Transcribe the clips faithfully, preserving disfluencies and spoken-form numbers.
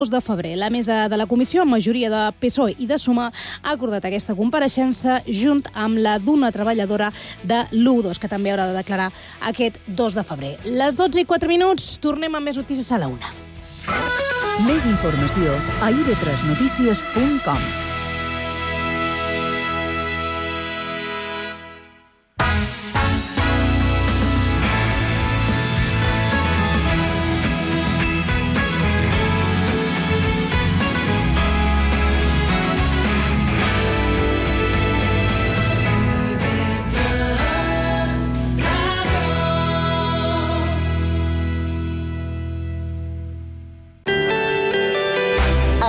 dos de febrer. La mesa de la comissió, amb majoria de P S O E i de Suma, ha acordat aquesta compareixença junt amb la d'una treballadora de l'U dos, que també haurà de declarar aquest dos de febrer. Les dotze i quatre minuts, tornem amb més notícies a la una. Més informació a i be tres notícies punt com.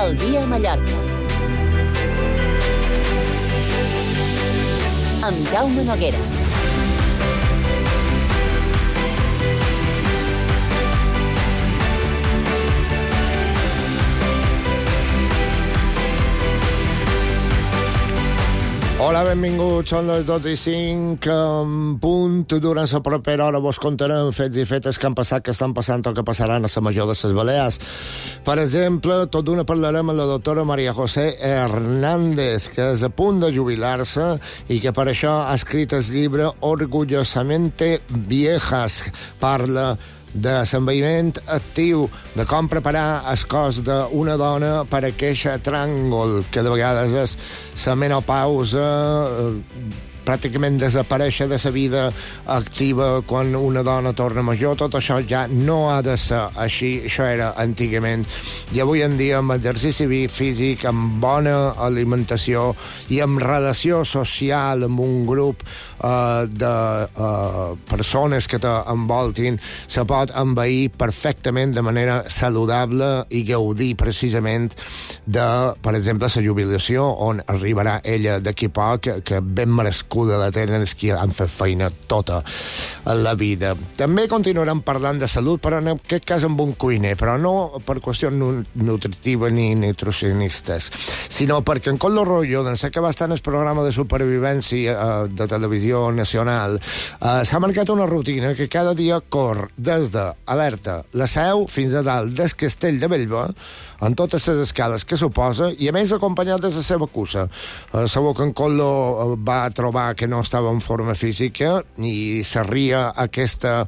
El dia a Mallorca. Amb Jaume Noguera. Hola, benvinguts. Són les dotze i cinc en punt. Durant la propera hora vos contarem fets i fetes que han passat, que estan passant o que passaran a la major de les Balears. Per exemple, tot d'una parlarem amb la doctora María José Hernández, que és a punt de jubilar-se i que per això ha escrit el llibre Orgullosamente Viejas. Parla de l'envelliment actiu, de com preparar el cos d'una dona per a aquest tràngol, que de vegades és la menopausa, pràcticament desaparèixer de la vida activa quan una dona torna major. Tot això ja no ha de ser així, això era antigament. I avui en dia, amb exercici físic, amb bona alimentació i amb relació social amb un grup uh, de uh, persones que t'envoltin, se pot envair perfectament de manera saludable i gaudir precisament de, per exemple, la jubilació, on arribarà ella d'aquí poc, que ben merescut de la tenen els que han fet feina tota la vida. També continuarem parlant de salut, però en aquest cas amb un cuiner, però no per qüestions nutritives ni nutricionistes, sinó perquè en Coldo Rollo, d'ençà que va estar en el programa de supervivència eh, de televisió nacional, eh, s'ha marcat una rutina que cada dia cor des de Alerta, la Seu, fins a dalt del Castell de Bellver, en totes les escales que suposa, i a més acompanyat de la seva cussa. Eh, segur que en Coldo va trobar que no estava en forma física i s'arria aquesta,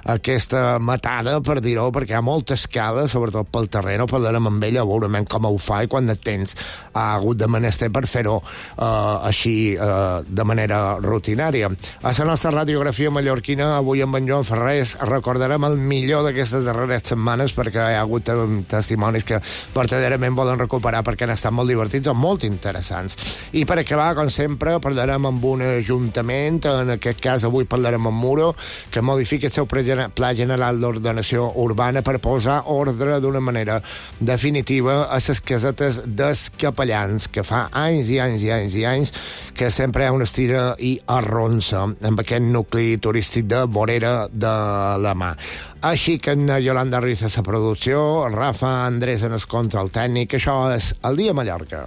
aquesta matada, per dir-ho, perquè hi ha molta escala, sobretot pel terreny. Parlarem amb ella, veurem com ho fa i quant de temps ha hagut de menester per fer-ho eh, així eh, de manera rutinària. A la nostra radiografia mallorquina, avui amb en Joan Ferrés, recordarem el millor d'aquestes darreres setmanes, perquè hi ha hagut testimonis que verdaderament volen recuperar perquè han estat molt divertits o molt interessants. I per acabar, com sempre, parlarem amb un ajuntament, en aquest cas avui parlarem amb Muro, que modifica el seu Pla General d'Ordenació Urbana per posar ordre d'una manera definitiva a les casetes dels capellans, que fa anys i anys i anys i anys que sempre hi ha una estira i arronsa amb aquest nucli turístic de Vorera de la Mà. Així que en Yolanda Ruiz a la producció, Rafa Andrés en el control tècnic. Això és El Dia a Mallorca.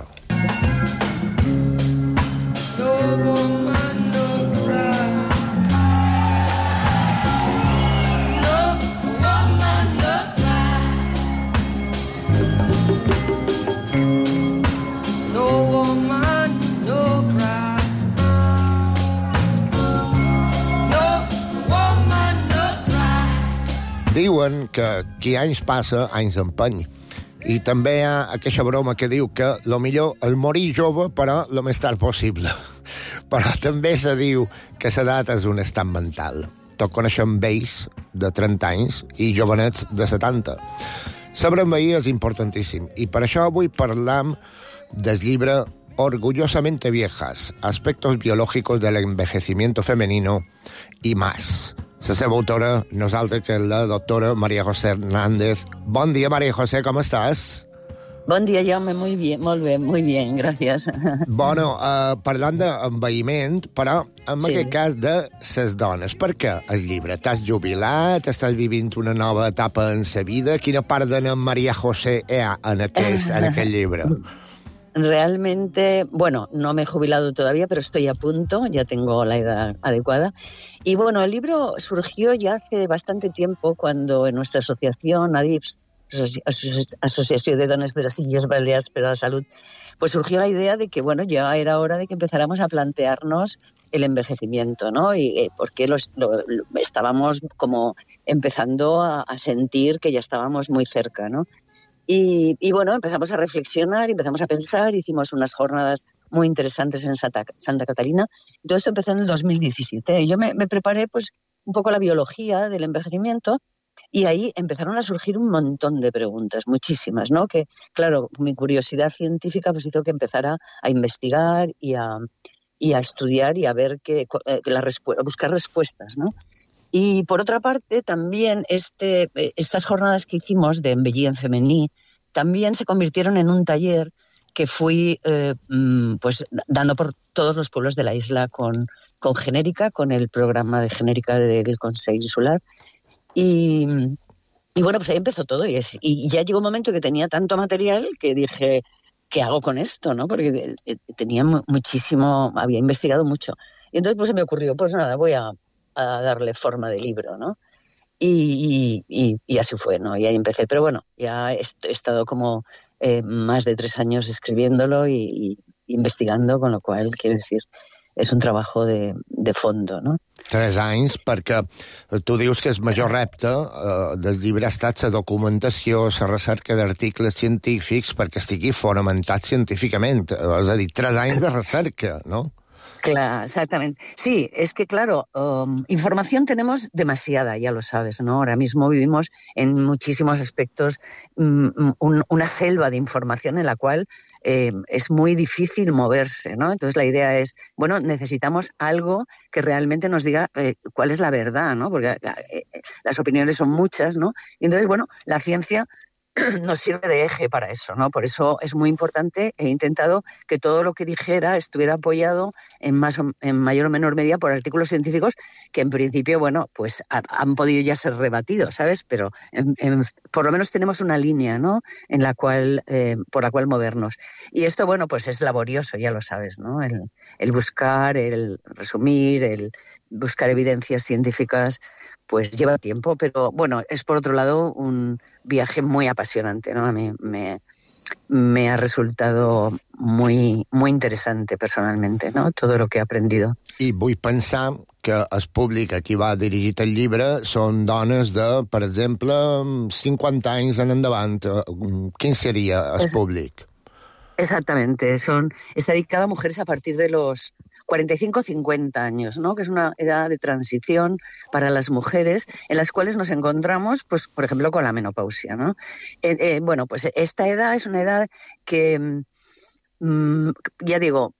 Diuen que qui anys passa, anys empeny. I també hi ha aquesta broma que diu que el millor és morir jove, però el més tard possible. Però també se diu que l'edat és un estat mental. Tots coneixem vells de trenta anys i jovenets de setanta. Saber envellir és importantíssim. I per això avui parlam del llibre Orgullosamente Viejas, aspectos biológicos del envejecimiento femenino y más. La seva autora, nosaltres, que és la doctora María José Hernández. Bon dia, María José, com estàs? Bon dia, Jaume, muy bien, molt bé, muy bien, gràcies. Bueno, uh, parlant d'envelliment, però en sí. aquest cas de ses dones. Per què el llibre? T'has jubilat? Estàs vivint una nova etapa en sa vida? Quina part de María José hi ha en aquest, en aquest llibre? Realmente, bueno, no me he jubilado todavía, pero estoy a punto, ya tengo la edad adecuada. Y bueno, el libro surgió ya hace bastante tiempo, cuando en nuestra asociación, ADIPS, Asociación de Dones de las Illes Baleares para la Salud, pues surgió la idea de que, bueno, ya era hora de que empezáramos a plantearnos el envejecimiento, ¿no? Y eh, porque los, lo, lo, estábamos como empezando a, a sentir que ya estábamos muy cerca, ¿no? Y, y bueno, empezamos a reflexionar, empezamos a pensar, hicimos unas jornadas muy interesantes en Santa, Santa Catalina. Y todo esto empezó en el dos mil diecisiete. Yo me, me preparé pues un poco la biología del envejecimiento y ahí empezaron a surgir un montón de preguntas, muchísimas, ¿no? Que, claro, mi curiosidad científica pues hizo que empezara a investigar y a, y a estudiar y a ver que, que la respu- a buscar respuestas, ¿no? Y por otra parte, también este, estas jornadas que hicimos de Envellir en Femení también se convirtieron en un taller que fui eh, pues dando por todos los pueblos de la isla con, con Genérica, con el programa de Genérica del Consejo Insular. Y, y bueno, pues ahí empezó todo. Y, es, y ya llegó un momento que tenía tanto material que dije, ¿qué hago con esto? ¿No? Porque tenía muchísimo, había investigado mucho. Y entonces pues se me ocurrió, pues nada, voy a... a darle forma de libro, ¿no? Y, y, y así fue, ¿no? Y ahí empecé. Pero bueno, ya he, he estado como eh, más de tres años escribiéndolo y, y investigando, con lo cual, quiero decir, és un treball de, de fondo, no? Tres anys, perquè tu dius que el major repte eh, del llibre ha estat la documentació, la recerca d'articles científics perquè estigui fonamentat científicament. És a dir, tres anys de recerca, no? Claro, exactamente. Sí, es que claro, um, información tenemos demasiada, ya lo sabes, ¿no? Ahora mismo vivimos en muchísimos aspectos um, un, una selva de información en la cual eh, es muy difícil moverse, ¿no? Entonces la idea es, bueno, necesitamos algo que realmente nos diga eh, cuál es la verdad, ¿no? Porque eh, las opiniones son muchas, ¿no? Y entonces, bueno, la ciencia nos sirve de eje para eso, ¿no? Por eso es muy importante. He intentado que todo lo que dijera estuviera apoyado en más o, en mayor o menor medida por artículos científicos que en principio, bueno, pues ha, han podido ya ser rebatidos, ¿sabes? Pero en, en, por lo menos tenemos una línea, ¿no? En la cual, eh, por la cual movernos. Y esto, bueno, pues es laborioso, ya lo sabes, ¿no? El, el buscar, el resumir, el buscar evidencias científicas, pues lleva tiempo, pero bueno, es por otro lado un viaje muy apasionante, ¿no? A mí me, me ha resultado muy, muy interesante personalmente, ¿no? Todo lo que he aprendido. I vull pensar que el públic a qui va dirigit el llibre són dones de, per exemple, cinquanta anys en endavant. Quin seria el es, públic? Exactamente, son, está dedicada a mujeres a partir de los cuarenta y cinco a cincuenta años, ¿no? Que es una edad de transición para las mujeres en las cuales nos encontramos, pues, por ejemplo, con la menopausia, ¿no? Eh, eh, bueno, pues esta edad es una edad que... ya digo,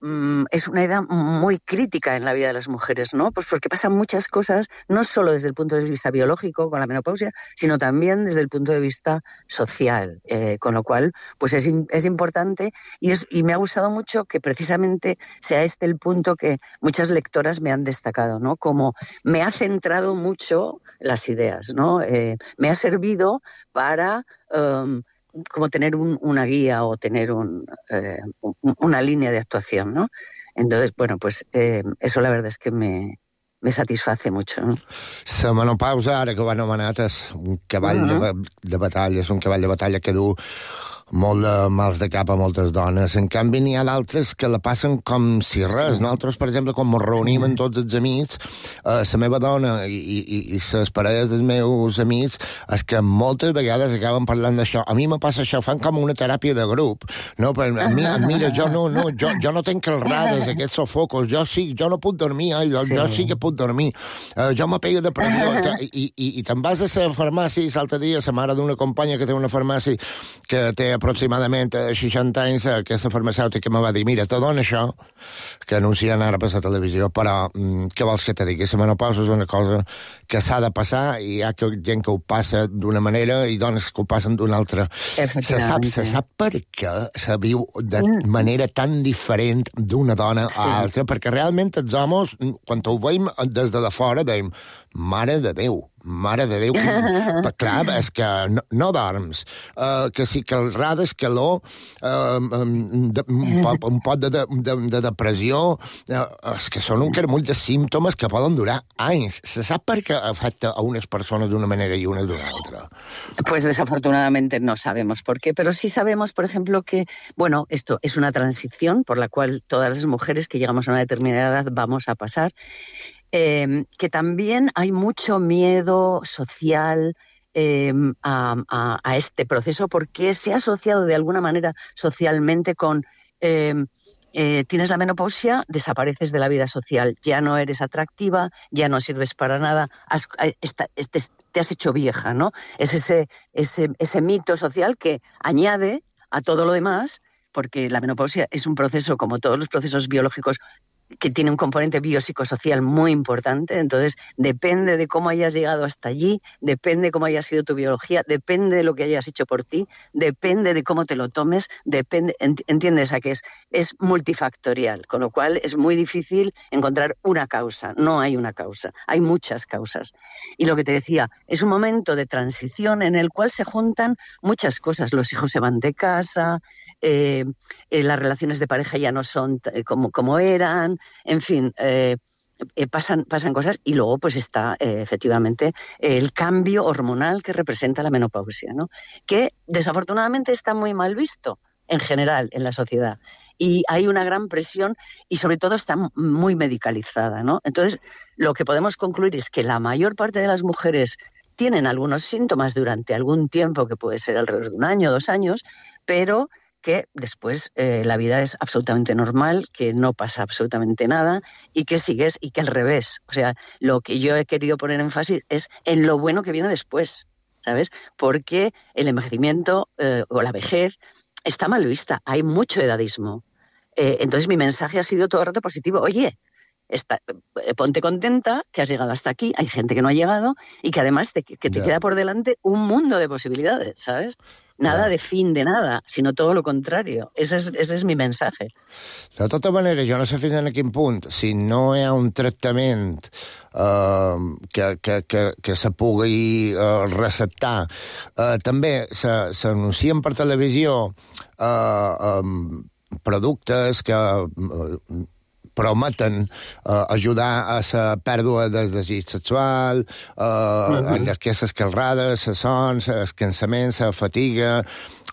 es una edad muy crítica en la vida de las mujeres, ¿no? Pues porque pasan muchas cosas, no solo desde el punto de vista biológico con la menopausia, sino también desde el punto de vista social, eh, con lo cual, pues es, es importante y, es, y me ha gustado mucho que precisamente sea este el punto que muchas lectoras me han destacado, ¿no? Como me ha centrado mucho las ideas, ¿no? Eh, me ha servido para... Um, como tener un, una guía o tener un, eh, un, una línea de actuación, ¿no? Entonces, bueno, pues eh, eso la verdad es que me, me satisface mucho, ¿no? La menopausa, ara que ho ha anomenat, és un cavall uh-huh. de, de batalla, és un cavall de batalla que du molt de mals de cap a moltes dones. En canvi, n'hi ha d'altres que la passen com si res. Sí. Nosaltres, per exemple, quan ens reunim amb tots els amics, eh, la meva dona i, i, i les parelles dels meus amics, és que moltes vegades acaben parlant d'això. A mi me passa això, fan com una teràpia de grup. No? Però, mira, mira, jo no, no, jo, jo no tenc calrades, aquests sofocos. Jo sí, jo no puc dormir, eh? jo, sí. jo sí que puc dormir. Eh, jo me pego de pressió. I, i, i te'n vas a la farmàcia, l'altre dia, la mare d'una companya que té una farmàcia que té aproximadament seixanta anys, aquesta farmacèutica me va dir, mira, te dona això, que anuncien ara per la televisió, però mm, què vols que te digui? La menopausa és una cosa que s'ha de passar i hi ha gent que ho passa d'una manera i dones que ho passen d'una altra. Se sap, se sap per què se viu de manera tan diferent d'una dona sí. a altra, perquè realment els homes, quan ho veiem des de la fora, deim, mare de Déu, mare de Déu, que, clar, és que no, no dorms, uh, que si calrades, calor, uh, de, un, poc, un pot de, de, de, de depressió, uh, és que són un caramull de símptomes que poden durar anys. Se sap per què afecta a unes persones d'una manera i unes d'una altra? Pues desafortunadamente no sabemos por qué, pero sí sabemos, por ejemplo, que, bueno, esto es una transición por la cual todas las mujeres que llegamos a una determinada edad vamos a pasar. Eh, que también hay mucho miedo social eh, a, a, a este proceso porque se ha asociado de alguna manera socialmente con eh, eh, tienes la menopausia, desapareces de la vida social, ya no eres atractiva, ya no sirves para nada, has, esta, este, te has hecho vieja, ¿no? Es ese, ese, ese mito social que añade a todo lo demás, porque la menopausia es un proceso, como todos los procesos biológicos, que tiene un componente biopsicosocial muy importante, entonces depende de cómo hayas llegado hasta allí, depende de cómo haya sido tu biología, depende de lo que hayas hecho por ti, depende de cómo te lo tomes, depende, ¿entiendes? A que es, es multifactorial, con lo cual es muy difícil encontrar una causa, no hay una causa, hay muchas causas. Y lo que te decía, es un momento de transición en el cual se juntan muchas cosas, los hijos se van de casa, eh, eh, las relaciones de pareja ya no son t- como, como eran, en fin, eh, eh, pasan, pasan cosas y luego pues está eh, efectivamente el cambio hormonal que representa la menopausia, ¿no? Que desafortunadamente está muy mal visto en general en la sociedad y hay una gran presión y sobre todo está muy medicalizada, ¿no? Entonces lo que podemos concluir es que la mayor parte de las mujeres tienen algunos síntomas durante algún tiempo, que puede ser alrededor de un año, dos años, pero que después eh, la vida es absolutamente normal, que no pasa absolutamente nada y que sigues y que al revés. O sea, lo que yo he querido poner énfasis es en lo bueno que viene después, ¿sabes? Porque el envejecimiento eh, o la vejez está mal vista, hay mucho edadismo. Eh, entonces mi mensaje ha sido todo el rato positivo. Oye, está, ponte contenta que has llegado hasta aquí, hay gente que no ha llegado y que además te, que te yeah. queda por delante un mundo de posibilidades, ¿sabes? Nada de fin de nada, sinó tot el contrari. Ese és, ese és mi mensatge. De tota manera, jo no sé fins a quin punt, si no hi ha un tractament eh, que, que, que, que se pugui eh, receptar. Eh, també s'anuncien per televisió eh, eh, productes que eh, prometen eh, ajudar a la pèrdua del desig sexual, eh, uh-huh. aquestes calrades, la son, el cansament, la fatiga,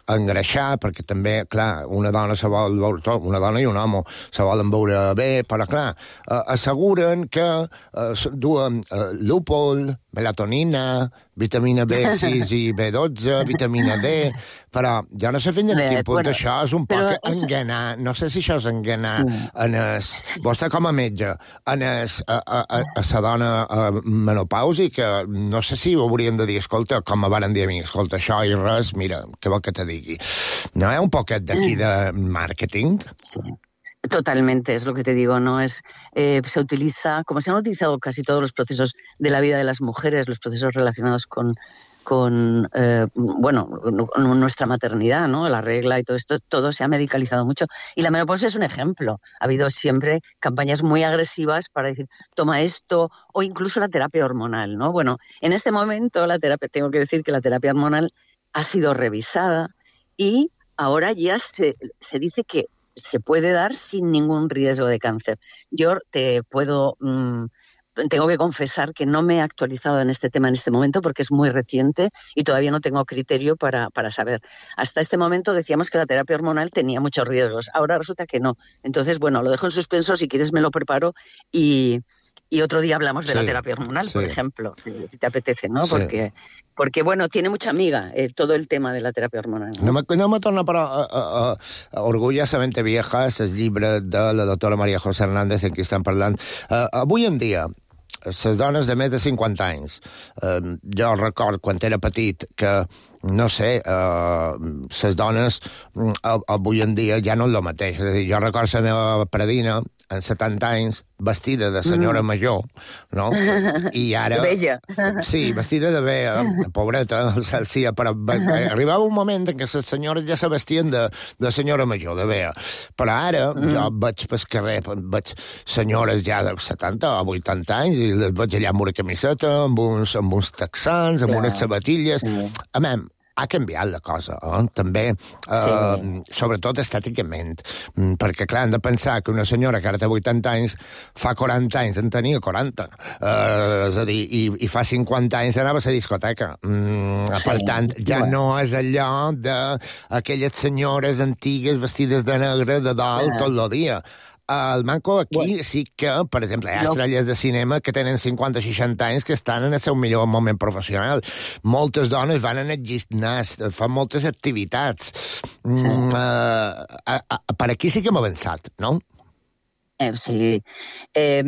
engreixar, perquè també, clar, una dona se vol veure, una dona i un home se volen veure bé, però, clar, eh, asseguren que eh, duen eh, lúpol, melatonina, vitamina B sis i B dotze, vitamina D, però jo no sé fins a quin punt bueno, això és un poc és... enganar, no sé si això és enganar sí. en es, vostè com a metge, en es, a, a, a, a sa dona a menopàusica, no sé si ho haurien de dir, escolta, com me van dir a mi, escolta, això i res, mira, què vol que te digui? No hi ha un poquet d'aquí de màrqueting? Sí. Totalmente, es lo que te digo, ¿no? Es, eh, se utiliza, como se han utilizado casi todos los procesos de la vida de las mujeres, los procesos relacionados con, con eh, bueno, nuestra maternidad, ¿no? La regla y todo esto, todo se ha medicalizado mucho. Y la menopausia es un ejemplo. Ha habido siempre campañas muy agresivas para decir, toma esto, o incluso la terapia hormonal, ¿no? Bueno, en este momento la terapia, tengo que decir que la terapia hormonal ha sido revisada y ahora ya se, se dice que se puede dar sin ningún riesgo de cáncer. Yo te puedo, mmm, tengo que confesar que no me he actualizado en este tema en este momento porque es muy reciente y todavía no tengo criterio para, para saber. Hasta este momento decíamos que la terapia hormonal tenía muchos riesgos, ahora resulta que no. Entonces, bueno, lo dejo en suspenso, si quieres me lo preparo y... Y otro día hablamos de sí, la terapia hormonal, sí. por ejemplo, si, si te apetece, ¿no? Sí. Porque, porque, bueno, tiene mucha amiga eh, todo el tema de la terapia hormonal. No, no me, no me torna, però, a, a, a Orgullosamente Vieja, el llibre de la doctora María José Hernández, en qui estem parlant. Uh, avui en dia, les dones de més de cinquanta anys, uh, jo record quan era petit que no sé, les uh, dones uh, avui en dia ja no és el mateix. És a dir, jo recordo la meva predina, en setanta anys, vestida de senyora mm. major, no? I ara... Vella. Sí, vestida de vella, pobreta, el cel sia, però arribava un moment en què les senyores ja se vestien de, de senyora major, de vella. Però ara mm. jo vaig pel carrer, veig senyores ja de setanta o vuitanta anys i les veig allà amb una camiseta, amb uns, amb uns texans, amb Clar. unes sabatilles... Mm. A mi, ha canviat la cosa, eh? també, eh, sí. sobretot estèticament, perquè, clar, hem de pensar que una senyora que ara té vuitanta anys, fa quaranta anys en tenia quaranta, eh, és a dir, i, i fa cinquanta anys anava a la discoteca. Mm, sí. Per tant, ja bueno. no és allò d'aquelles senyores antigues vestides de negre de dalt ah. tot el dia. El manco aquí bueno. sí que, per exemple, hi ha estrelles de cinema que tenen cinquanta o seixanta anys que estan en el seu millor moment professional. Moltes dones van en el gimnàs, fan moltes activitats. Sí. Mm, uh, a, a, per aquí sí que hem avançat, ¿no? Eh, sí. Eh,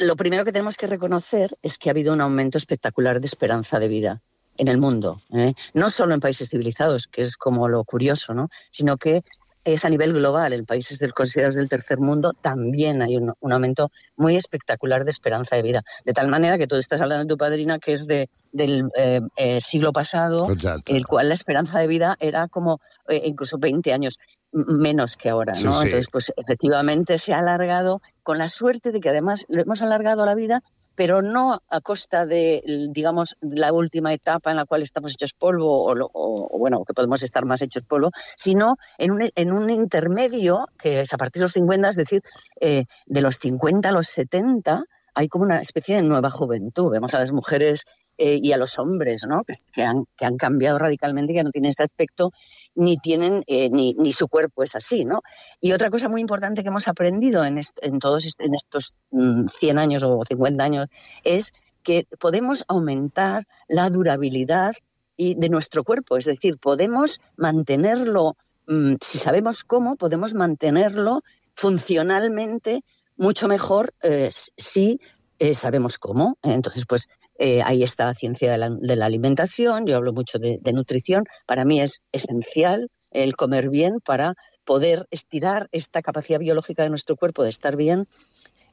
lo primero que tenemos que reconocer es que ha habido un aumento espectacular de esperanza de vida en el mundo. ¿eh? No solo en países civilizados, que es como lo curioso, ¿no? Sino que es a nivel global. En países del, considerados del tercer mundo también hay un, un aumento muy espectacular de esperanza de vida. De tal manera que tú estás hablando de tu padrina, que es de, del eh, eh, siglo pasado, Exacto. en el cual la esperanza de vida era como eh, incluso veinte años menos que ahora, ¿no? Sí, sí. Entonces, pues efectivamente se ha alargado, con la suerte de que además lo hemos alargado la vida, pero no a costa de, digamos, la última etapa en la cual estamos hechos polvo, o, o, o bueno, que podemos estar más hechos polvo, sino en un, en un intermedio, que es a partir de los cincuenta, es decir, eh, de los cincuenta a los setenta, hay como una especie de nueva juventud. Vemos a las mujeres eh, y a los hombres, ¿no? Que, que, han, que han cambiado radicalmente, que no tienen ese aspecto, ni tienen, eh, ni, ni su cuerpo es así, ¿no? Y otra cosa muy importante que hemos aprendido en, est- en todos est- en estos mm, cien años o cincuenta años es que podemos aumentar la durabilidad y de nuestro cuerpo. Es decir, podemos mantenerlo, mm, si sabemos cómo, podemos mantenerlo funcionalmente mucho mejor eh, si eh, sabemos cómo. Entonces, pues eh, ahí está la ciencia de la, de la alimentación. Yo hablo mucho de, de nutrición. Para mí es esencial el comer bien para poder estirar esta capacidad biológica de nuestro cuerpo de estar bien.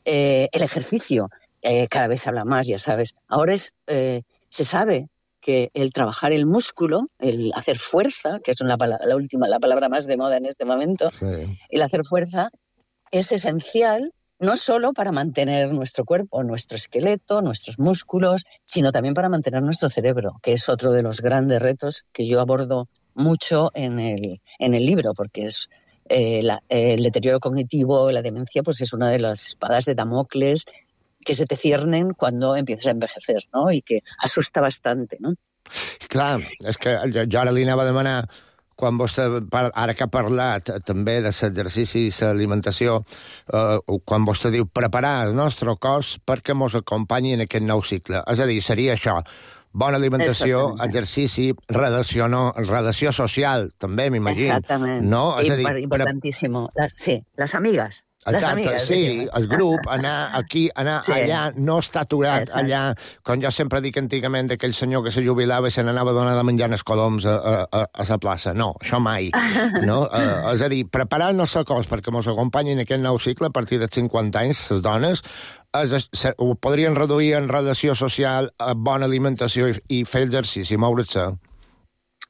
Eh, el ejercicio, eh, cada vez se habla más, ya sabes. Ahora es, eh, se sabe que el trabajar el músculo, el hacer fuerza, que es una, la última, la palabra más de moda en este momento, sí. el hacer fuerza es esencial no solo para mantener nuestro cuerpo, nuestro esqueleto, nuestros músculos, sino también para mantener nuestro cerebro, que es otro de los grandes retos que yo abordo mucho en el, en el libro, porque es eh, la, eh, el deterioro cognitivo, la demencia, pues es una de las espadas de Damocles que se te ciernen cuando empiezas a envejecer, ¿no? Y que asusta bastante, ¿no? Clar, és que jo ara li anava a demanar, quan vostè, ara que ha parlat també de l'exercici i l'alimentació, eh, quan vostè diu preparar el nostre cos perquè ens acompanyi en aquest nou cicle. És a dir, seria això, bona alimentació, exercici, relació, no, relació social, també, m'imagino. Exactament, no? És a dir, importantíssimo. La, sí, les amigues. Exacte, sí, el grup, anar aquí, anar sí. allà, no estar aturat Exacte. allà, com jo sempre dic antigament d'aquell senyor que se jubilava i se n'anava a donar de menjar els coloms a, a, a la plaça. No, això mai. No? Uh, és a dir, preparar el nostre cos perquè ens acompanyin en aquest nou cicle a partir dels cinquanta anys, les dones, es, se, ho podrien reduir en relació social, a bona alimentació i, i fer exercici, moure's-se.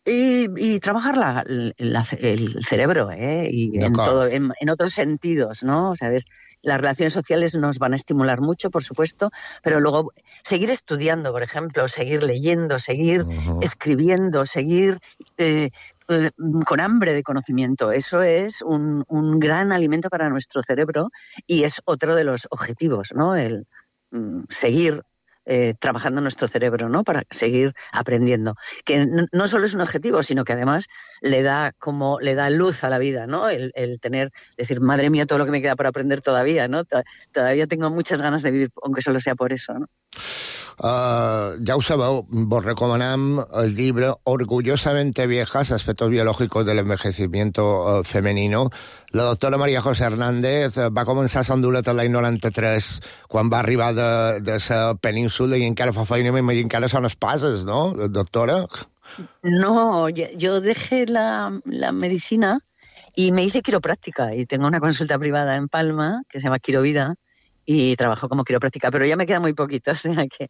Y, y trabajar la, la, el cerebro, ¿eh? Y en, todo, en, en otros sentidos, ¿no? ¿Sabes? Las relaciones sociales nos van a estimular mucho, por supuesto, pero luego seguir estudiando, por ejemplo, seguir leyendo, seguir uh-huh. escribiendo, seguir eh, eh, con hambre de conocimiento. Eso es un, un gran alimento para nuestro cerebro y es otro de los objetivos, ¿no? El mm, seguir Eh, trabajando nuestro cerebro, ¿no? Para seguir aprendiendo. Que no, no solo es un objetivo, sino que además le da como le da luz a la vida, ¿no? El, el tener, decir, madre mía, todo lo que me queda por aprender todavía, ¿no? Todavía tengo muchas ganas de vivir, aunque solo sea por eso, ¿no? Uh, ja ho sabeu, vos recomanem el llibre Orgullosamente Viejas, aspectos biológicos del envejecimiento uh, femenino. La doctora María José Hernández va començar a Honduras l'any noranta-tres, quan va arribar de, de la península, i encara fa feina, m'imagino que ara són espases, no, doctora? No, yo dejé la, la medicina y me hice quiropráctica, y tengo una consulta privada en Palma, que se llama Quirovida, y trabajo como quiropráctica, pero ya me queda muy poquito, o sea que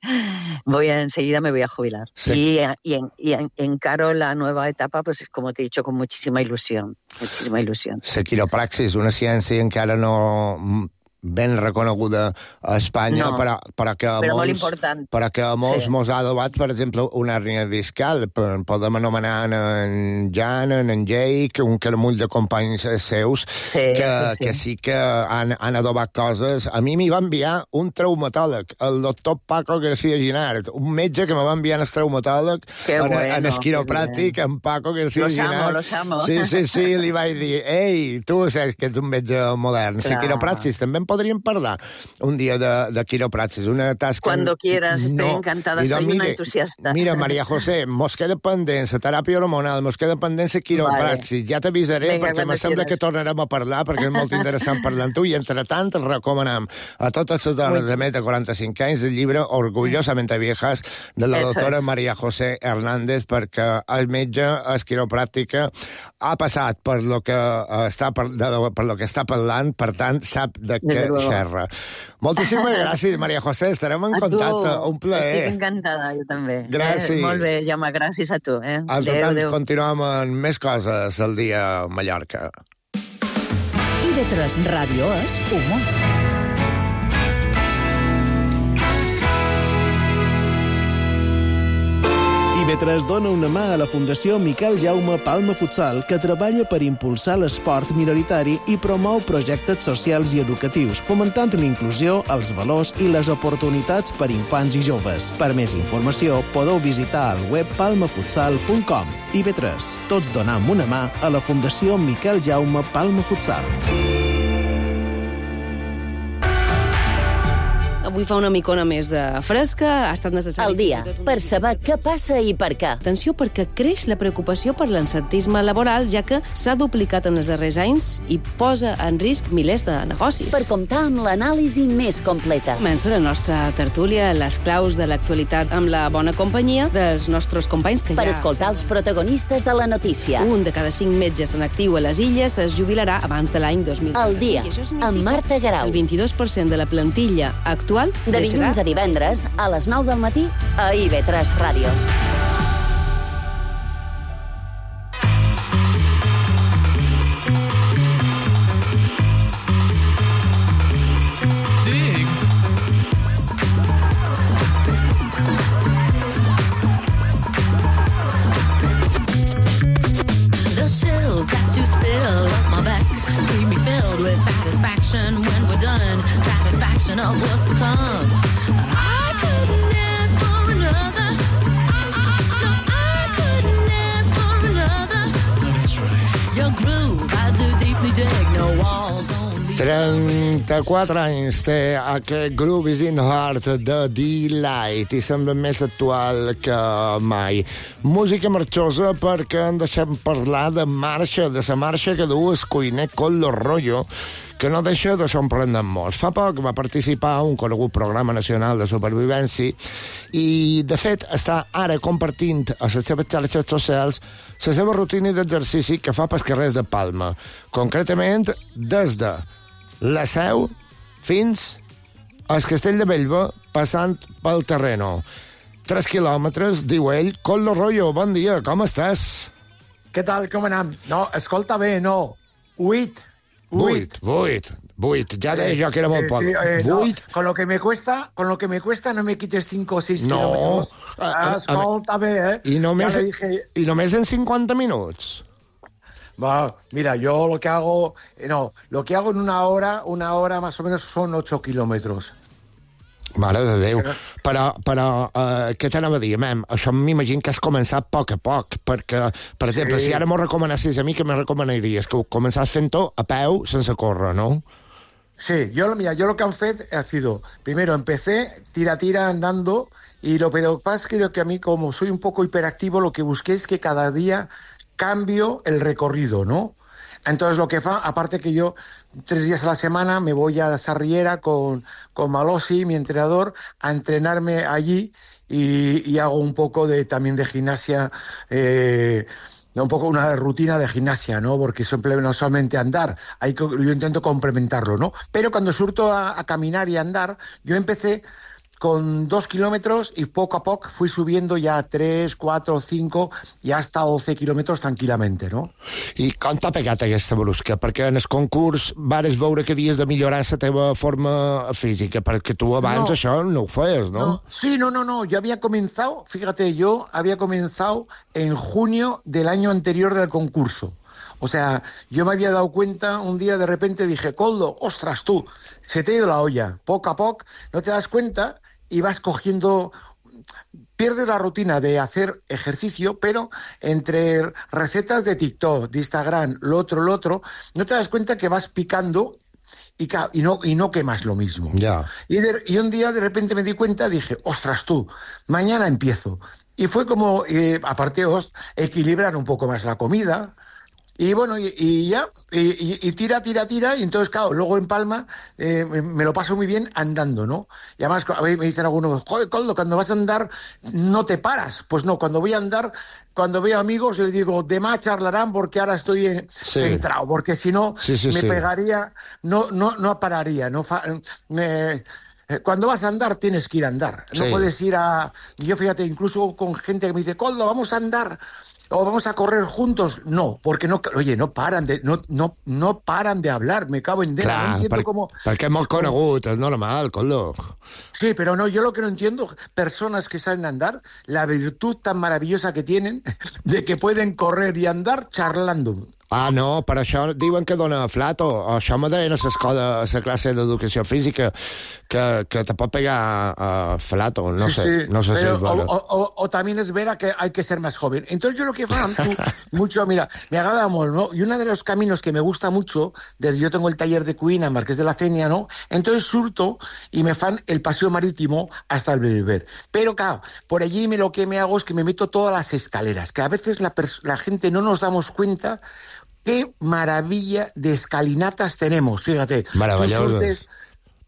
voy a, enseguida me voy a jubilar. Sí. Y, y, en, y en, encaro la nueva etapa, pues como te he dicho, con muchísima ilusión, muchísima ilusión. La quiropraxis, una ciència encara no ben reconeguda a Espanya, no, però, però que a però molts, però que a molts sí. mos ha adobat, per exemple, una hernia discal. Podem anomenar en Jan, en Jake, un caramull de companys seus, sí, que, sí, sí. que sí que han, han adobat coses. A mi m'hi va enviar un traumatòleg, el doctor Paco García Ginart, un metge que me va enviar el traumatòleg, en, bueno, en el quiropràctic, en Paco García los Ginart. Amo, los amo. Sí, sí, sí, li vaig dir, ei, tu saps que ets un metge modern. La quiropraxis també podríem parlar un dia de, de quiropraxis, una tasca... Cuando quieras, estoy no. encantada, Mira, soy mire, una entusiasta. Mira, María José, mos queda pendent la teràpia hormonal, mos queda pendent la quiropraxis, vale. Ja t'avisaré, Venga, perquè me sembla que tornarem a parlar, perquè és molt interessant parlar amb tu, i entre tant recomanem a totes les dones de més de quaranta-cinc anys el llibre Orgullosamente Viejas de la Eso doctora es. María José Hernández, perquè el metge, és quiropràctica, ha passat per lo que està, per, de, per lo que està parlant, per tant, sap de què xerra. Moltíssimes gràcies, María José, estarem en a contacte. Tu. Un plaer. Estic encantada, jo també. Gràcies. Eh, molt bé, Jaume, gràcies a tu. Eh? Adeu, tant, adeu. Continuem amb més coses el dia a Mallorca. I de tres Ràdio és humor. I B tres dona una mà a la Fundació Miquel Jaume Palma Futsal, que treballa per impulsar l'esport minoritari i promou projectes socials i educatius, fomentant la inclusió, els valors i les oportunitats per infants i joves. Per més informació, podeu visitar el web palma futsal punt com. I B tres, tots donam una mà a la Fundació Miquel Jaume Palma Futsal. Avui fa una micona més de fresca, ha estat necessari... Al dia, per saber què passa i per què. Atenció, perquè creix la preocupació per l'absentisme laboral, ja que s'ha duplicat en els darrers anys i posa en risc milers de negocis. Per comptar amb l'anàlisi més completa. Comença la nostra tertúlia, les claus de l'actualitat, amb la bona companyia dels nostres companys que per ja... Per escoltar els protagonistes de la notícia. Un de cada cinc metges en actiu a les Illes es jubilarà abans de l'any dos mil trenta. Al dia, amb Marta Garau. El vint-i-dos per cent de la plantilla actual de dilluns a divendres, a les nou del matí, a I B tres Ràdio. Dig. The chills that you spill up my back leave me filled with satisfaction when we're done. Satisfaction of what's to come. I couldn't ask for another. No, I couldn't ask for another. Your groove, I do deeply dig. No walls, only... trenta-quatre anys té aquest Groove is in the Heart de Delight i sembla més actual que mai. Música marxosa perquè en deixem parlar de marxa, de la marxa que du el cuiner Collo Rollo, que no deixa de sorprendre molts. Fa poc va participar a un conegut programa nacional de supervivència i, de fet, està ara compartint a les seves xarxes socials la seva rutina d'exercici que fa pels carrers de Palma. Concretament, des de la Seu fins al Castell de Bellver, passant pel Terreno. Tres quilòmetres, diu ell. Collo Rollo, bon dia, com estàs? Què tal, com anem? No, escolta bé, no. Huit. Vuit, vuit, vuit. Ja deia jo que era molt poc. Sí, eh, vuit. No, con lo que me cuesta, con lo que me cuesta no me quites cinco o seis no. kilómetros. Ah, escolta bé, eh? I només, dije... I només en cinquanta minuts. Va, mira, yo lo que hago, no, lo que hago en una hora, una hora más o menos son ocho kilómetros. Mare de Déu. Però, però uh, què t'anava a dir, mem? Això m'imagino que has començat a poc a poc, perquè, per exemple, sí. Si ara m'ho recomanessis a mi, què me recomanaries? Que ho començàs fent-ho a peu, sense córrer, no? Sí, yo, mira, yo lo que han fet ha sido, primero empecé tira-tira andando Y lo pero pasa es que creo que a mí, como soy un poco hiperactivo, lo que busqué es que cada día cambio el recorrido, ¿no? Entonces lo que fa, aparte que yo tres días a la semana me voy a la Sarriera con, con Malosi, mi entrenador, a entrenarme allí y, y hago un poco de también de gimnasia, eh, un poco una rutina de gimnasia, ¿no? Porque siempre no solamente andar, hay que, yo intento complementarlo, ¿no? Pero cuando surto a, a caminar y a andar, yo empecé con dos kilómetros i a poc a poc fui subiendo ja a tres, quatre, cinc i hasta doce quilòmetres tranquil·lament, no? I com t'ha pegat aquesta brusca? Perquè en el concurs vares veure que havies de millorar la teva forma física, perquè tu abans no. això no ho feies, no? no? Sí, no, no, no, yo había comenzado, fíjate, yo había comenzado en junio del año anterior del concurso. O sea, yo me había dado cuenta, un día de repente dije, Koldo, ostras tú, se te ha ido la olla, poco a poco, no te das cuenta y vas cogiendo, pierdes la rutina de hacer ejercicio, pero entre recetas de TikTok, de Instagram, lo otro, lo otro, no te das cuenta que vas picando y, y, no, y no quemas lo mismo. Yeah. Y, de, y un día de repente me di cuenta, dije, ostras tú, mañana empiezo. Y fue como, eh, aparte, os, equilibrar un poco más la comida. Y bueno, y, y ya, y, y, y tira, tira, tira, y entonces, claro, luego en Palma eh, me, me lo paso muy bien andando, ¿no? Y además a mí me dicen algunos, joder, Koldo, cuando vas a andar no te paras. Pues no, cuando voy a andar, cuando veo amigos, les digo, demás charlarán porque ahora estoy en, sí. centrado, porque si no, sí, sí, me sí. pegaría, no, no, no pararía, no fa, me, cuando vas a andar tienes que ir a andar, no sí. puedes ir a... Yo fíjate, incluso con gente que me dice, Koldo, vamos a andar... o vamos a correr juntos, no, porque no, oye, no paran de, no, no, no paran de hablar, me cago en dena, Clar, no entiendo per, cómo... perquè és molt conegut, és normal, Koldo. Sí, pero no, yo lo que no entiendo, personas que salen a andar, la virtud tan maravillosa que tienen de que pueden correr y andar charlando. Ah, no, per això diuen que dona flato. Això me deien a l'escola, a la classe d'educació física, que, que te pot pegar uh, flato. No sí, sé, sí, no sé pero, si es bueno. O, o, o también es vera que hay que ser más joven. Entonces yo lo que fan, tú, mucho, mira, me agrada mucho, ¿no? Y uno de los caminos que me gusta mucho, desde yo tengo el taller de cuina en Marqués de la Cenia, ¿no? Entonces surto y me fan el paseo marítimo hasta el Belver. Pero claro, por allí me, lo que me hago es que me meto todas las escaleras, que a veces la, la gente no nos damos cuenta. Qué maravilla de escalinatas tenemos, fíjate. Maravilloso.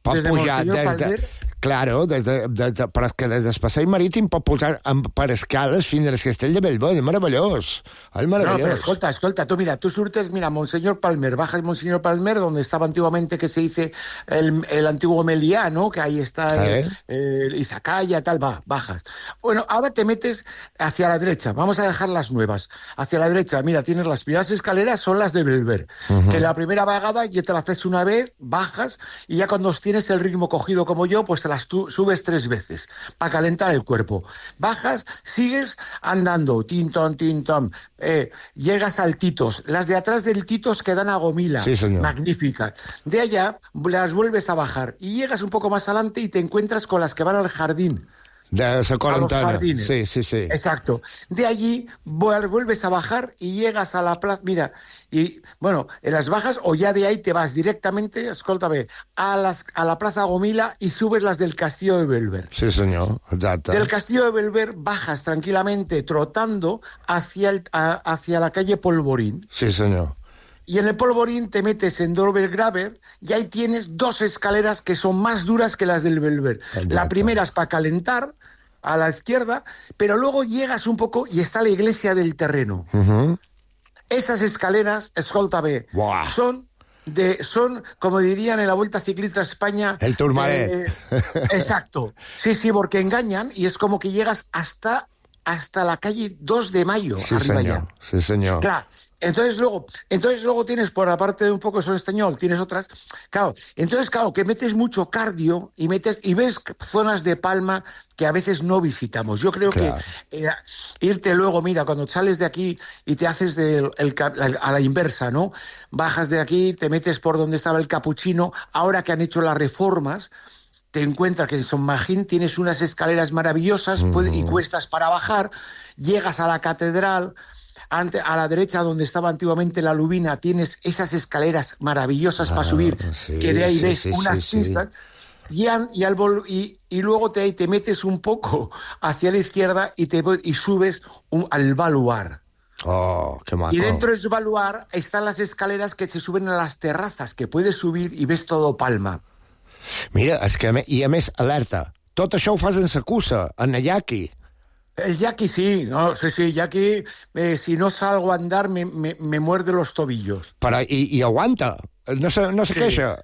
Pot desde pujar Monseñor des de... Palmer... Claro, des de, des de, però és que des del passeig marítim pot pujar amb, per escales fins al castell de Bellvei. És meravellós. És meravellós. No, pero escolta, escolta, tú mira, tú surtes, mira, Monseñor Palmer, bajas Monseñor Palmer, donde estaba antiguamente, que se dice el, el antiguo Meliá, ¿no? Que ahí está ¿Eh? el, el Izacaya, tal, va, bajas. Bueno, ahora te metes hacia la derecha, vamos a dejar las nuevas. Hacia la derecha, mira, tienes las primeras escaleras, son las de Belver. Uh-huh. Que la primera vagada ya te la haces una vez, bajas, y ya cuando tienes el ritmo cogido como yo, pues te las tú, subes tres veces para calentar el cuerpo. Bajas, sigues andando, tintón, tintón, eh, llegas al Titos. Las de atrás del Titos quedan a Gomila. Sí, señor. Magníficas. De allá las vuelves a bajar y llegas un poco más adelante y te encuentras con las que van al jardín. De la cuarentena. Sí, sí, sí. Exacto. De allí vuelves a bajar y llegas a la plaza. Mira, y bueno, en las bajas o ya de ahí te vas directamente, escúltame, a, las, a la plaza Gomila y subes las del Castillo de Belver. Sí, señor, exacto. Del Castillo de Belver bajas tranquilamente, trotando hacia, el, a, hacia la calle Polvorín. Sí, señor. Y en el Polvorín te metes en Dovergraver y ahí tienes dos escaleras que son más duras que las del Belver. Exacto. La primera es para calentar, a la izquierda, pero luego llegas un poco y está la iglesia del terreno. Uh-huh. Esas escaleras, escóltame, wow. son... De, son, como dirían en la Vuelta Ciclista a España... El Tourmalet. Eh, exacto. Sí, sí, porque engañan y es como que llegas hasta... hasta la calle dos de mayo, sí, arriba señor. ya. Sí, señor. Claro, entonces luego, entonces luego tienes por la parte de un poco Sol Estañol, tienes otras, claro, entonces claro, que metes mucho cardio y metes y ves zonas de Palma que a veces no visitamos. Yo creo claro. que eh, irte luego, mira, cuando sales de aquí y te haces de el, el, a la inversa, ¿no? Bajas de aquí, te metes por donde estaba el Capuchino, ahora que han hecho las reformas, te encuentras que en Son Magín tienes unas escaleras maravillosas uh-huh. y cuestas para bajar, llegas a la catedral, ante, a la derecha donde estaba antiguamente la Lubina, tienes esas escaleras maravillosas ah, para subir, sí, que de ahí sí, ves sí, unas sí, pistas. Sí. y, an- y, al vol- y, y luego te, te metes un poco hacia la izquierda y, te, y subes un- al baluar. Oh, qué maco. Y dentro del baluar están las escaleras que se suben a las terrazas, que puedes subir y ves todo Palma. Mira, és que, a més- i a més, alerta, tot això ho fas en sa cussa, en el yaqui. El yaqui sí, no, sí, sí, yaqui, eh, si no salgo a andar me, me, me muerde los tobillos. Però, i, i aguanta, no se, no se Sí. queixa.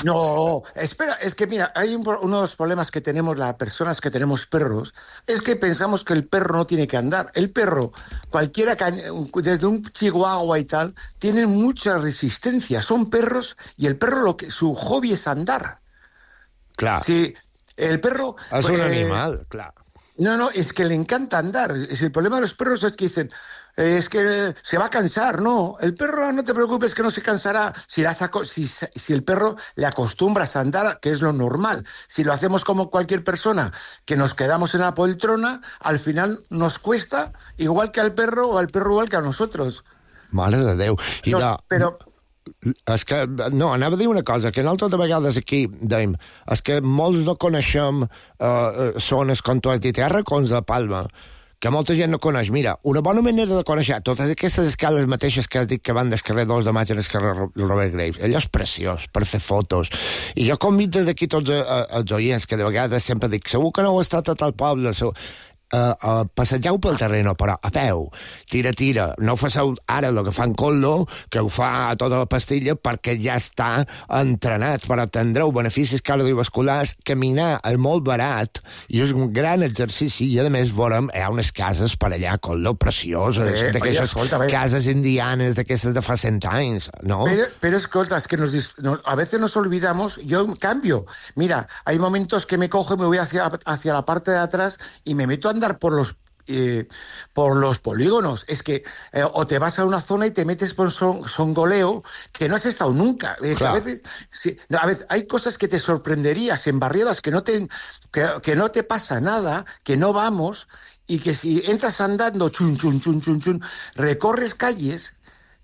No, espera, es que mira, hay un, pro- uno de los problemas que tenemos las personas que tenemos perros, es que pensamos que el perro no tiene que andar. El perro, cualquiera, que- desde un chihuahua y tal, tienen mucha resistencia. Son perros y el perro lo que su hobby es andar. Clar, Si el perro... és pues, un eh, animal, clar. No, no, es que le encanta andar. Es el problema de los perros es que dicen, eh, es que eh, se va a cansar. No, el perro no te preocupes que no se cansará si, la saco- si, si el perro le acostumbras a andar, que es lo normal. Si lo hacemos como cualquier persona, que nos quedamos en la poltrona, al final nos cuesta igual que al perro o al perro igual que a nosotros. Mare de Déu. I No, de, però és que, no, anava a dir una cosa, que nosaltres de vegades aquí dèiem, és que molts no coneixem eh, zones, com tu has dit, hi ha racons de Palma, que molta gent no coneix. Mira, una bona manera de conèixer totes aquestes escales mateixes que has dit que van del carrer dos de maig al carrer Robert Graves, allò és preciós per fer fotos. I jo convido des d'aquí tots eh, els oients, que de vegades sempre dic, segur que no heu estat a tal poble, segur... Uh, uh, passegeu pel terreno, però a peu, tira, tira. No ho faceu ara el que fan Collo, que ho fa a tota la pastilla, perquè ja està entrenat, però tindreu beneficis cardiovasculars. Caminar és molt barat i és un gran exercici, i a més veurem, hi ha unes cases per allà, Collo, precioses, Eh, d'aquestes oye, escolta, ve. cases indianes, d'aquestes de fa cent anys, no? Pero, pero escolta, es que nos, dis- nos- a veces nos olvidamos, yo cambio. Mira, hay momentos que me cojo y me voy hacia, hacia la parte de atrás y me meto a andar por los eh, por los polígonos. Es que eh, o te vas a una zona y te metes por son, songoleo que no has estado nunca. Eh, que a Claro. veces, sí, no, a veces hay cosas que te sorprenderías en barriadas que no te que, que no te pasa nada, que no vamos, y que si entras andando chun chun chun chun chun, recorres calles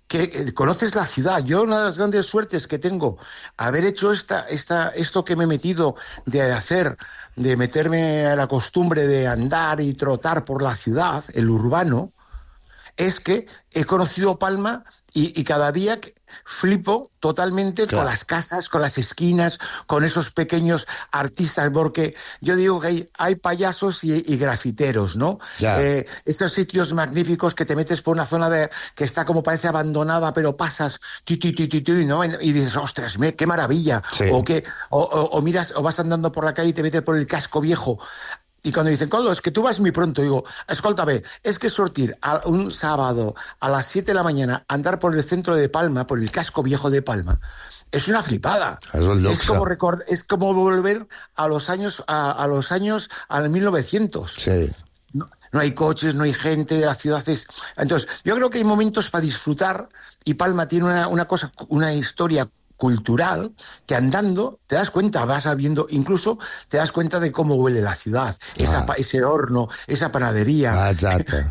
que eh, conoces la ciudad. Yo, una de las grandes suertes que tengo, haber hecho esta, esta, esto que me he metido de hacer, de meterme a la costumbre de andar y trotar por la ciudad, el urbano, es que he conocido Palma y, y cada día que- flipo totalmente Claro. con las casas, con las esquinas, con esos pequeños artistas, porque yo digo que hay, hay payasos y, y grafiteros, ¿no? Ya. Eh, esos sitios magníficos que te metes por una zona de, que está como parece abandonada, pero pasas ti, ti, ti, ti, ti, ¿no? Y dices, ostras, me- qué maravilla. Sí. O, que, o, o- o miras, o vas andando por la calle y te metes por el casco viejo. Y cuando dicen, Coldo, es que tú vas muy pronto, digo, escúltame, es que sortir a un sábado a las siete de la mañana, andar por el centro de Palma, por el casco viejo de Palma, es una flipada. Es un luxe. Es como record- es como volver a los años, a, a los años, al mil novecientos. Sí. No, no hay coches, no hay gente, la ciudad es... Entonces, yo creo que hay momentos para disfrutar y Palma tiene una, una cosa, una historia cultural que andando te das cuenta, vas viendo, incluso te das cuenta de cómo huele la ciudad, esa, pa- ese horno, esa panadería. Ah, exacte.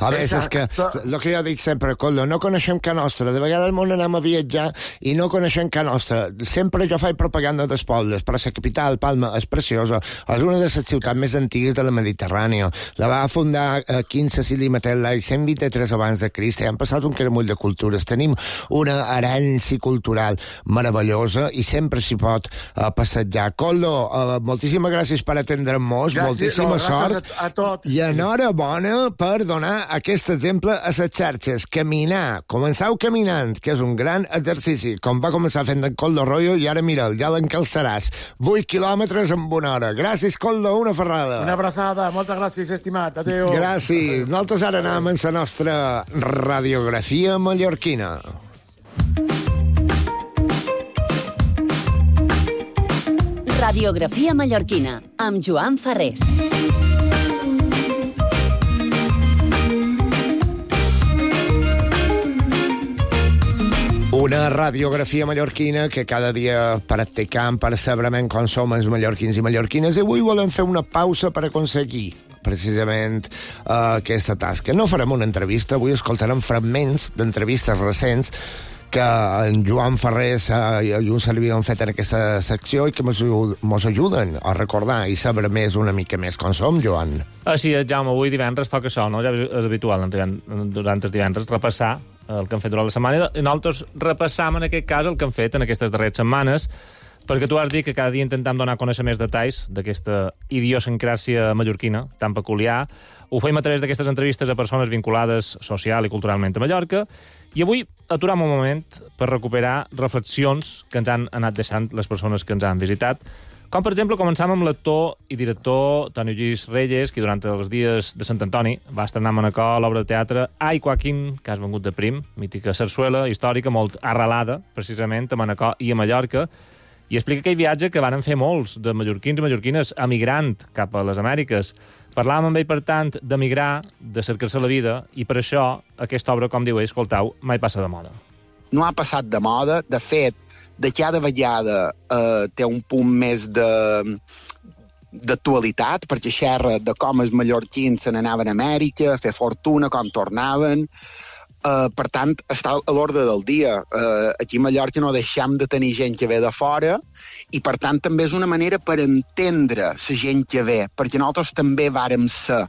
A més, és que, Exacte. el que jo dic sempre, Coldo, no coneixem Ca Nostra. De vegades al món anem a viatjar i no coneixem Ca Nostra. Sempre jo faig propaganda dels pobles, però la capital, Palma, és preciosa. És una de les ciutats més antigues de la Mediterrània. La va fundar eh, Quint Cecili Matet l'any cent vint-i-tres abans de Crist. Han passat un caramull de cultures. Tenim una herència cultural meravellosa i sempre s'hi pot eh, passejar. Coldo, eh, moltíssimes gràcies per atendre'm-nos, Gràcies, moltíssima no, sort. gràcies a- a tots. I enhorabona per donar aquest exemple a les xarxes. Caminar. Començau caminant, que és un gran exercici. Com va començar fent en Coldo Royo i ara mira'l, ja l'encalçaràs. vuit quilòmetres en una hora. Gràcies, Coldo, una ferrada. Una abrazada, moltes gràcies, estimat. Adéu. Gràcies. Nosaltres ara anem amb la nostra radiografia mallorquina. Radiografia mallorquina, amb Joan Ferrés. Una radiografia mallorquina que cada dia practicam per saber com som els mallorquins i mallorquines, i avui volem fer una pausa per aconseguir precisament uh, aquesta tasca. No farem una entrevista, avui escoltarem fragments d'entrevistes recents que en Joan Ferrés eh, i un servidor han fet en aquesta secció i que ens ajuden a recordar i saber més una mica més com som, Joan. Així és, Jaume, avui divendres toca això, no? Ja és habitual durant els divendres repassar el que han fet durant la setmana i nosaltres repassam en aquest cas el que han fet en aquestes darreres setmanes, perquè tu has dit que cada dia intentem donar a conèixer més detalls d'aquesta idiosincràsia mallorquina tan peculiar. Ho fem a través d'aquestes entrevistes a persones vinculades social i culturalment a Mallorca, i avui aturam un moment per recuperar reflexions que ens han anat deixant les persones que ens han visitat, com per exemple començam amb l'actor i director Toni Lluís Reyes, que durant els dies de Sant Antoni va estrenar a Manacor l'obra de teatre Ai, Joaquín, que has vengut de prim, mítica sarsuela històrica molt arrelada precisament a Manacor i a Mallorca, i explica aquell viatge que van fer molts de mallorquins i mallorquines emigrant cap a les Amèriques. Parlàvem amb ell, per tant, d'emigrar, de cercar-se la vida, i per això aquesta obra, com diu ell, escoltau, mai passa de moda. No ha passat de moda. De fet, de cada vegada eh, té un punt més de d'actualitat, perquè xerra de com els mallorquins se n'anaven a Amèrica, a fer fortuna, com tornaven. Uh, per tant, està a l'ordre del dia. Uh, aquí a Mallorca no deixem de tenir gent que ve de fora i, per tant, també és una manera per entendre la gent que ve, perquè nosaltres també vàrem ser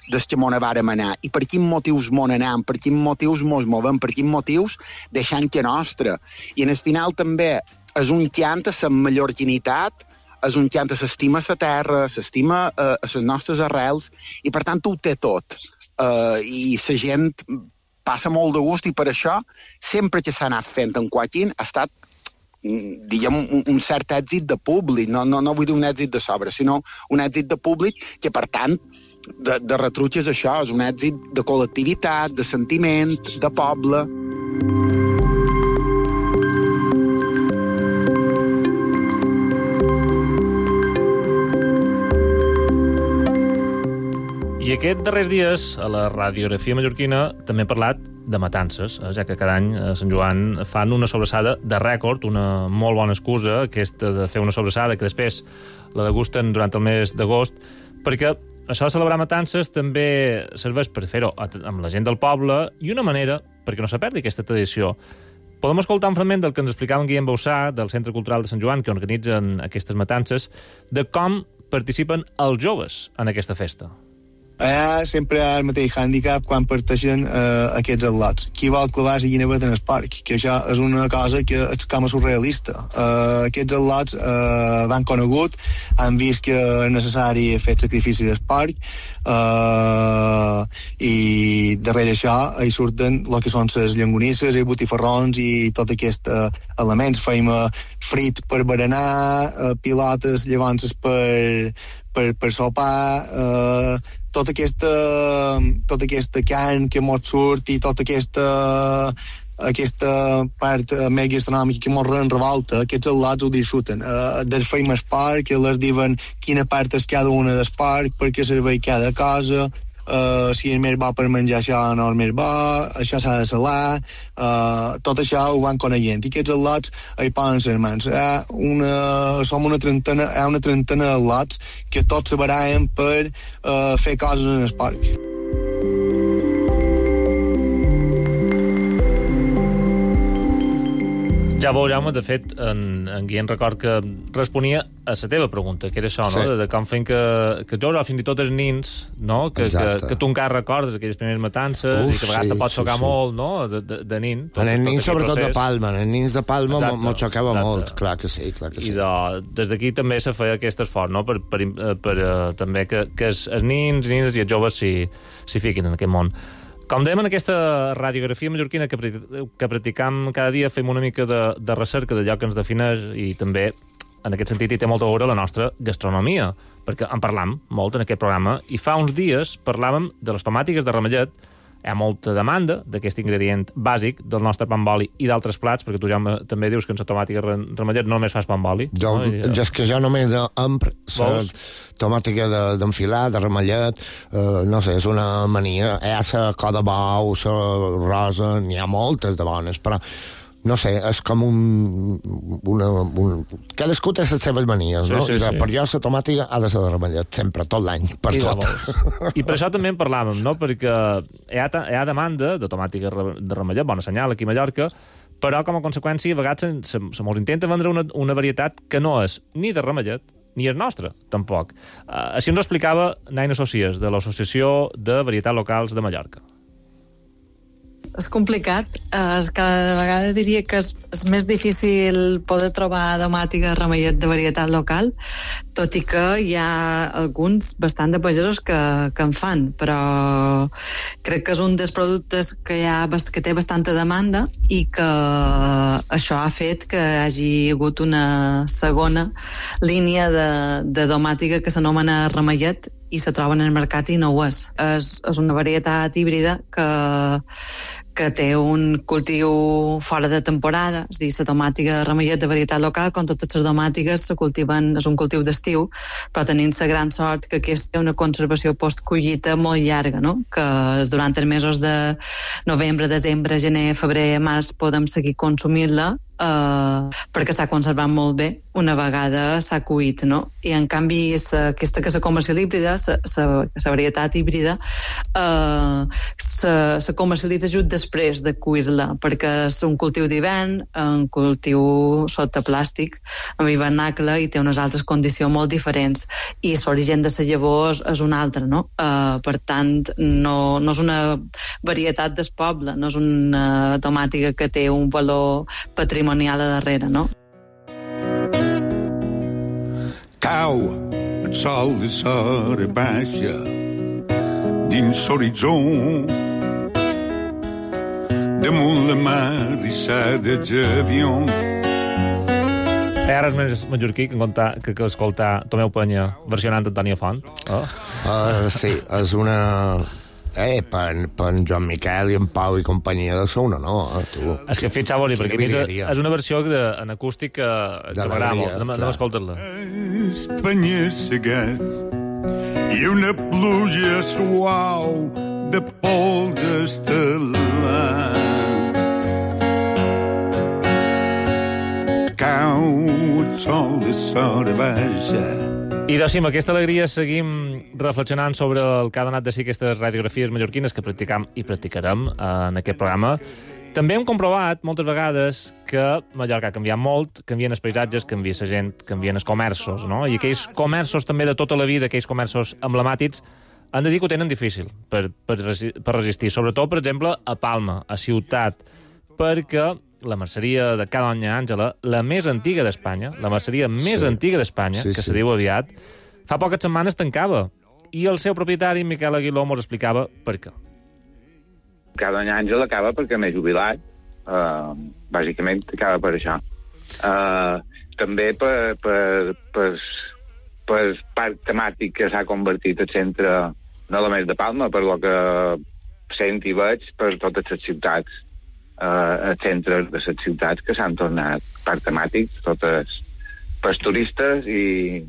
des que mos vàrem anar. I per quins motius mos anem, per quins motius mos movem, per quins motius deixant que nostra. I en el final també és un cant a la mallorquinitat, és un cant a s'estima a la terra, s'estima a, a les nostres arrels, i per tant ho té tot. Uh, I la gent passa molt de gust, i per això sempre que s'ha anat fent en Joaquín ha estat, diguem, un, un cert èxit de públic. No, no, no vull dir un èxit de sobre, sinó un èxit de públic que, per tant, de, de retruig és això, és un èxit de col·lectivitat, de sentiment, de poble. I aquests darrers dies, a la radiografia mallorquina, també he parlat de matances, ja que cada any a Sant Joan fan una sobrassada de rècord, una molt bona excusa, aquesta de fer una sobrassada, que després la degusten durant el mes d'agost, perquè això de celebrar matances també serveix per fer-ho amb la gent del poble i una manera perquè no se perdi aquesta tradició. Podem escoltar un fragment del que ens explicava en Guillem Bausà, del Centre Cultural de Sant Joan, que organitzen aquestes matances, de com participen els joves en aquesta festa. Allà sempre hi ha el mateix hàndicap quan parteixen eh, aquests atlots. Qui vol clavar la guineveta en el parc, que això és una cosa que és com a surrealista. Eh, aquests atlots eh, van conegut, han vist que és necessari fer sacrifici del parc, eh, i darrere això hi surten el que són les llangonisses, els botifarrons i tot aquests eh, elements. Feim eh, frit per berenar, eh, pilotes llavors per, per, per sopar, eh, tota aquesta, tota aquesta carn que mos surt i tota aquesta, aquesta part més gastronòmica que mos revolta, aquests atlots ho disfruten. Uh, dels feim el parc, que les diuen quina part és cada una del parc, per què serveix cada cosa, uh, si és més bo per menjar això no és més bo, això s'ha de salar, uh, tot això ho van coneixent. I aquests atlots hi poden ser mans. Hi ha una, som una trentena, hi ha una trentena d'atlots que tots se barallen per uh, fer coses en el parc. Ja veureu, Jaume, de fet, en, en Guillem record que responia a la teva pregunta, que era això, no? Sí. De, de com fent que, que jo, fins i tot els nins, no? Que, que, que tu encara recordes aquelles primeres matances. Uf, i que a vegades sí, te pot xocar sí, sí. molt, no? De, de, de nin. En els nins, sobretot procés. De Palma. En els nins de Palma m'ho xocava exacte. molt. Clar que sí, clar que sí. I de, des d'aquí també se feia aquest esforç, no? Per, per, per, per uh, també que, que els, els nins, nines i els joves s'hi fiquin en aquest món. Com dèiem, en aquesta radiografia mallorquina que, que practicam cada dia, fem una mica de, de recerca d'allò que ens defineix i també, en aquest sentit, hi té molta a veure la nostra gastronomia, perquè en parlam molt en aquest programa, i fa uns dies parlàvem de les tomàtiques de ramellet. Hi ha molta demanda d'aquest ingredient bàsic del nostre pa amb oli i d'altres plats, perquè tu ja també dius que en la tomàtica ramellet no només fas pa amb oli. Jo, no? I, és que jo només empro la tomàtica d'enfilar, de, de ramellet, eh, no sé, és una mania. Hi ha la coda bau, la rosa, n'hi ha moltes de bones, però no sé, és com un... Una, un cadascú té les seves manies, sí, no? Sí, sí. Per jo la tomàtica ha de ser de ramellet, sempre, tot l'any, per I tot. I per això també en parlàvem, no? Perquè hi ha, hi ha demanda de tomàtica de ramellet, bona senyal aquí a Mallorca, però com a conseqüència a vegades se, se mos intenta vendre una, una varietat que no és ni de ramellet ni és nostra, tampoc. Uh, així ens ho explicava Naina Socias, de l'Associació de Varietats Locals de Mallorca. És complicat. Es, cada vegada diria que és, és més difícil poder trobar domàtica ramellet de varietat local, tot i que hi ha alguns bastant de pagesos que, que en fan, però crec que és un dels productes que, hi ha, que té bastanta demanda i que això ha fet que hi hagi hagut una segona línia de, de domàtica que s'anomena ramellet i se troba en el mercat i no ho és. És, és una varietat híbrida que, que té un cultiu fora de temporada, és a dir, la tomàtica de ramellet de varietat local, com totes les tomàtiques, se cultiven, és un cultiu d'estiu, però tenint la gran sort que aquesta té una conservació post-collita molt llarga, no? Que durant els mesos de novembre, desembre, gener, febrer, març podem seguir consumint-la, Uh, perquè s'ha conservat molt bé una vegada s'ha cuit, no? I en canvi sa, aquesta que és la comercial híbrida, la varietat híbrida uh, se comercialitza just després de cuir-la, perquè és un cultiu d'hivern, un cultiu sota plàstic amb hivernacle i té unes altres condicions molt diferents i l'origen de la llavor és, és un altre, no? Uh, per tant no, no és una varietat del poble, no és una tomàtica que té un valor patrimonial a darrere, no? Cau el sol de sora baixa dins l'horitzó damunt la mar rissada d'avió. Hi ha res més mallorquí que, contar, que, que escoltar Tomeu Penya versionant Antònia Font? Oh. Uh, sí, és una... Eh, per, per en Joan Miquel i en Pau i companyia de Sauna, no? Eh, tu. És que fixava-li, perquè és, és una versió de, en acústic que, que m'agrada molt. No, no escoltes-la. Espanya segat i una pluja suau de pols estel·lar. Cau el sol de sora baixa. I doncs, amb aquesta alegria seguim reflexionant sobre el que ha donat de si aquestes radiografies mallorquines que practicam i practicarem en aquest programa. També hem comprovat moltes vegades que Mallorca ha canviat molt, canvien els paisatges, canvia la gent, canvien els comerços, no? I aquells comerços també de tota la vida, aquells comerços emblemàtics, han de dir que ho tenen difícil per, per, per resistir. Sobretot, per exemple, a Palma, a Ciutat, perquè la merceria de Ca Doña Àngela, la més antiga d'Espanya, la merceria més sí. antiga d'Espanya, sí, que sí. se diu aviat, fa poques setmanes tancava. I el seu propietari, Miquel Aguiló, mos explicava per què. Ca Doña Àngela acaba perquè m'he jubilat. Uh, bàsicament acaba per això. Uh, també per, per, per, per parc temàtic que s'ha convertit el centre no només de Palma, per lo que sent i veig per totes les ciutats. Uh, els centres de les ciutats que s'han tornat parc temàtics, totes pels turistes i,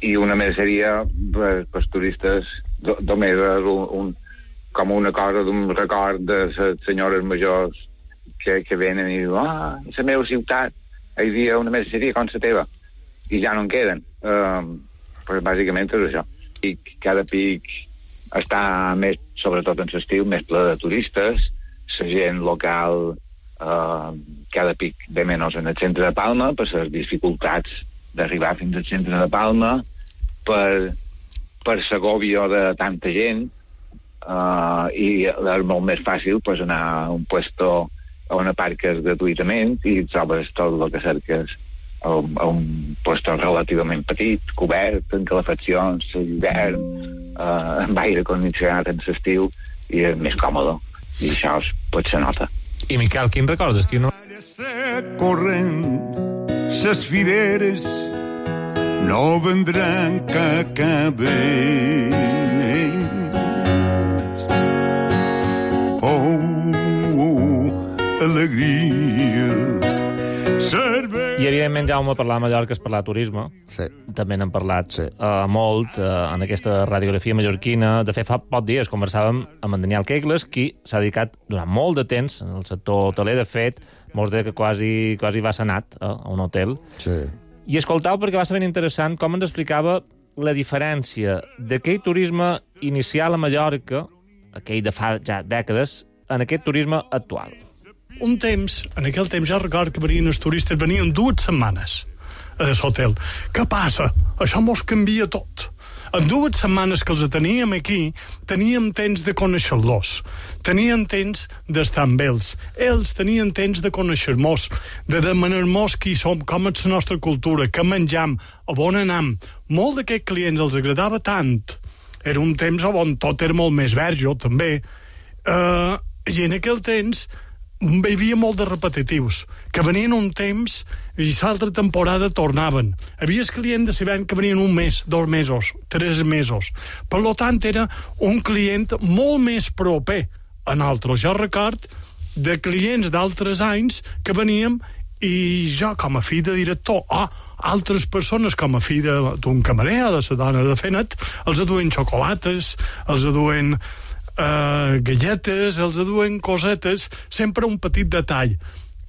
i una merceria per, pels turistes do, només un, un, com una cosa d'un record de les senyores majors que, que venen i diuen ah, la meva ciutat, hi havia una merceria com la teva i ja no en queden. Uh, però bàsicament és això. I cada pic està més, sobretot en l'estiu, més ple de turistes. La gent local eh, cada pic ve menys en el centre de Palma per les dificultats d'arribar fins al centre de Palma, per, per l'agòbio de tanta gent eh, i és molt més fàcil pues, anar a un puesto on aparques gratuïtament i trobes tot el que cerques a un, a un puesto relativament petit, cobert, amb calefaccions, l'hivern, eh, amb aire condicionat en l'estiu i és més còmode. I això pot ser nota. I, Miquel, quin recordes? Quin no... Corrent, ses fireres no vendran que acaben. Oh, oh, alegria. I, evidentment, Jaume, parlar de Mallorca és parlar de turisme. Sí. També n'hem parlat sí. uh, molt uh, en aquesta radiografia mallorquina. De fet, fa pocs dies conversàvem amb en Daniel Kegles, qui s'ha dedicat durant molt de temps en el sector hoteler. De fet, molts de que quasi, quasi va senat uh, a un hotel. Sí. I escoltau, perquè va ser ben interessant com ens explicava la diferència d'aquell turisme inicial a Mallorca, aquell de fa ja dècades, en aquest turisme actual. un temps, en aquell temps ja record que venien els turistes, venien dues setmanes a l'hotel. Què passa? Això mos canvia tot. En dues setmanes que els teníem aquí, teníem temps de conèixer-los, tenien temps d'estar amb ells, ells tenien temps de conèixer-nos, de demanar-nos qui som, com és la nostra cultura, què menjam, a on anam. Molt d'aquests clients els agradava tant. Era un temps on tot era molt més verd, jo també. Uh, I en aquell temps hi havia molt de repetitius, que venien un temps i l'altra temporada tornaven. Havia el client de l'hivern que venien un mes, dos mesos, tres mesos. Per tant, era un client molt més proper a nosaltres. Jo record de clients d'altres anys que veníem i jo, com a fill de director, o oh, altres persones, com a fill d'un camarer, de la dona de Fenet, els aduen xocolates, els aduen Uh, galletes, els aduen cosetes, sempre un petit detall.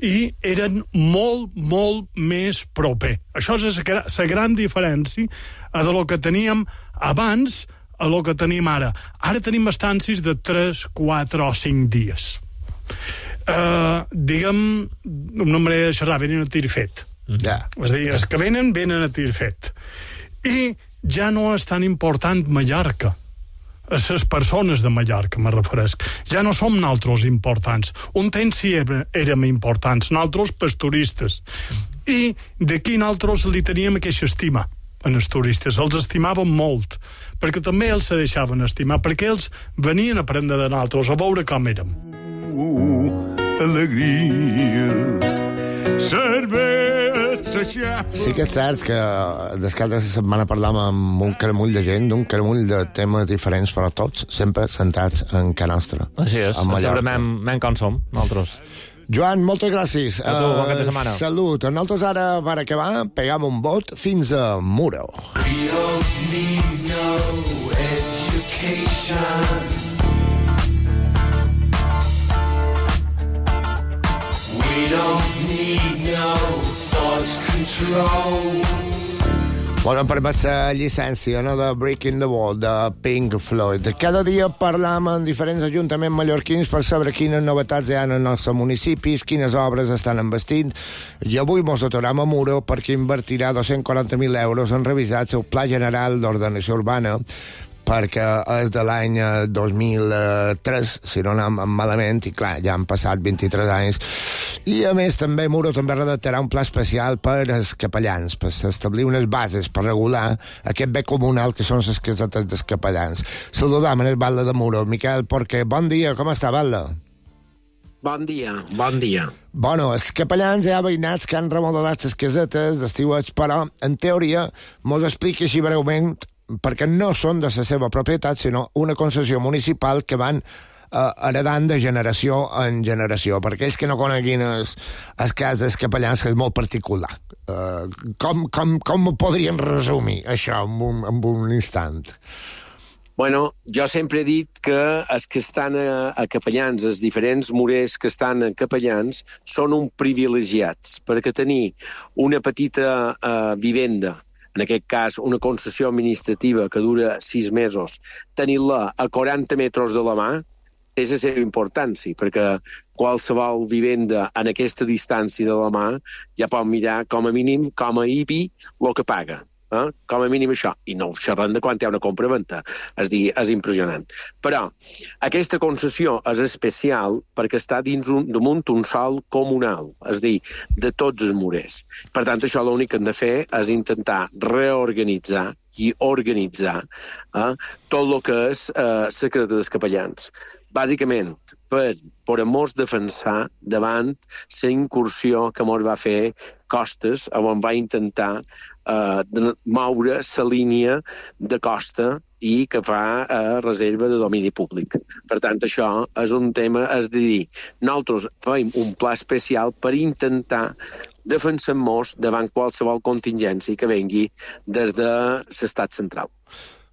I eren molt, molt més proper. Això és la gran diferència de lo que teníem abans a lo que tenim ara. Ara tenim estàncies de tres, quatre o cinc dies. Uh, diguem, una manera de xerrar, venen a tir fet. Yeah. És a dir, els que venen, venen a tir fet. I ja no és tan important Mallorca. A les persones de Mallorca, me referesc. Ja no som nosaltres importants. Un temps sí érem importants, nosaltres pels turistes. I d'aquí nosaltres li teníem aquesta estima en els turistes. Els estimàvem molt, perquè també els se deixaven estimar, perquè ells venien a aprendre de nosaltres, a veure com érem. Uh, alegria, sí que és cert que des que la setmana parlàvem amb un caramull de gent, d'un caramull de temes diferents, però tots sempre sentats en ca nostra. Així és, sempre men com som, nosaltres. Joan, moltes gràcies. A tu, bon cap de setmana. Uh, salut. Nosaltres ara, per acabar, pegam un vot fins a Muro. We don't need no education. We don't need no thought control. Bueno, em permet la llicència, no?, de Breaking the Wall, de Pink Floyd. Cada dia parlam amb diferents ajuntaments mallorquins per saber quines novetats hi ha en els nostres municipis, quines obres estan envestint, i avui mos aturam a Muro perquè invertirà dos-cents quaranta mil euros en revisar el seu Pla General d'Ordenació Urbana, perquè és de l'any dos mil tres, si no anem malament, i clar, ja han passat vint-i-tres anys. I a més també Muro també redactarà un pla especial per als capellans, per establir unes bases per regular aquest bé comunal que són les casetes dels capellans. Saludam en el Batlle de Muro, Miquel Porquer. Bon dia, com està, Batlle? Bon dia, bon dia. Bueno, els capellans hi ha veïnats que han remodelat les casetes d'estiuets, però, en teoria, mos explica així breument perquè no són de la seva propietat, sinó una concessió municipal que van eh, heredant de generació en generació. Per aquells que no coneguin els, els cas dels capellans, que és molt particular. Eh, com, com, com ho podrien resumir, això, en un, en un instant? Bueno, jo sempre he dit que els que estan a, a capellans, els diferents morers que estan a capellans, són un privilegiats, perquè tenir una petita uh, vivenda, en aquest cas una concessió administrativa que dura sis mesos, tenir-la a quaranta metres de la mà, té la seva importància, perquè qualsevol vivenda en aquesta distància de la mà ja pot mirar com a mínim, com a I B I, el que paga. Eh? Com a mínim això, i no xerrant de quan hi ha una compra-venta, és dir, és impressionant. Però aquesta concessió és especial perquè està dins un, damunt un sòl comunal, és dir, de tots els morers. Per tant, això l'únic que hem de fer és intentar reorganitzar i organitzar eh, tot el que és eh, secret dels capellans. Bàsicament, per, per a mos defensar davant la incursió que mos va fer Costes, on va intentar eh, moure la línia de costa i que fa eh, reserva de domini públic. Per tant, això és un tema, és de dir, nosaltres fem un pla especial per intentar defensar-nos davant qualsevol contingència que vengui des de l'estat central.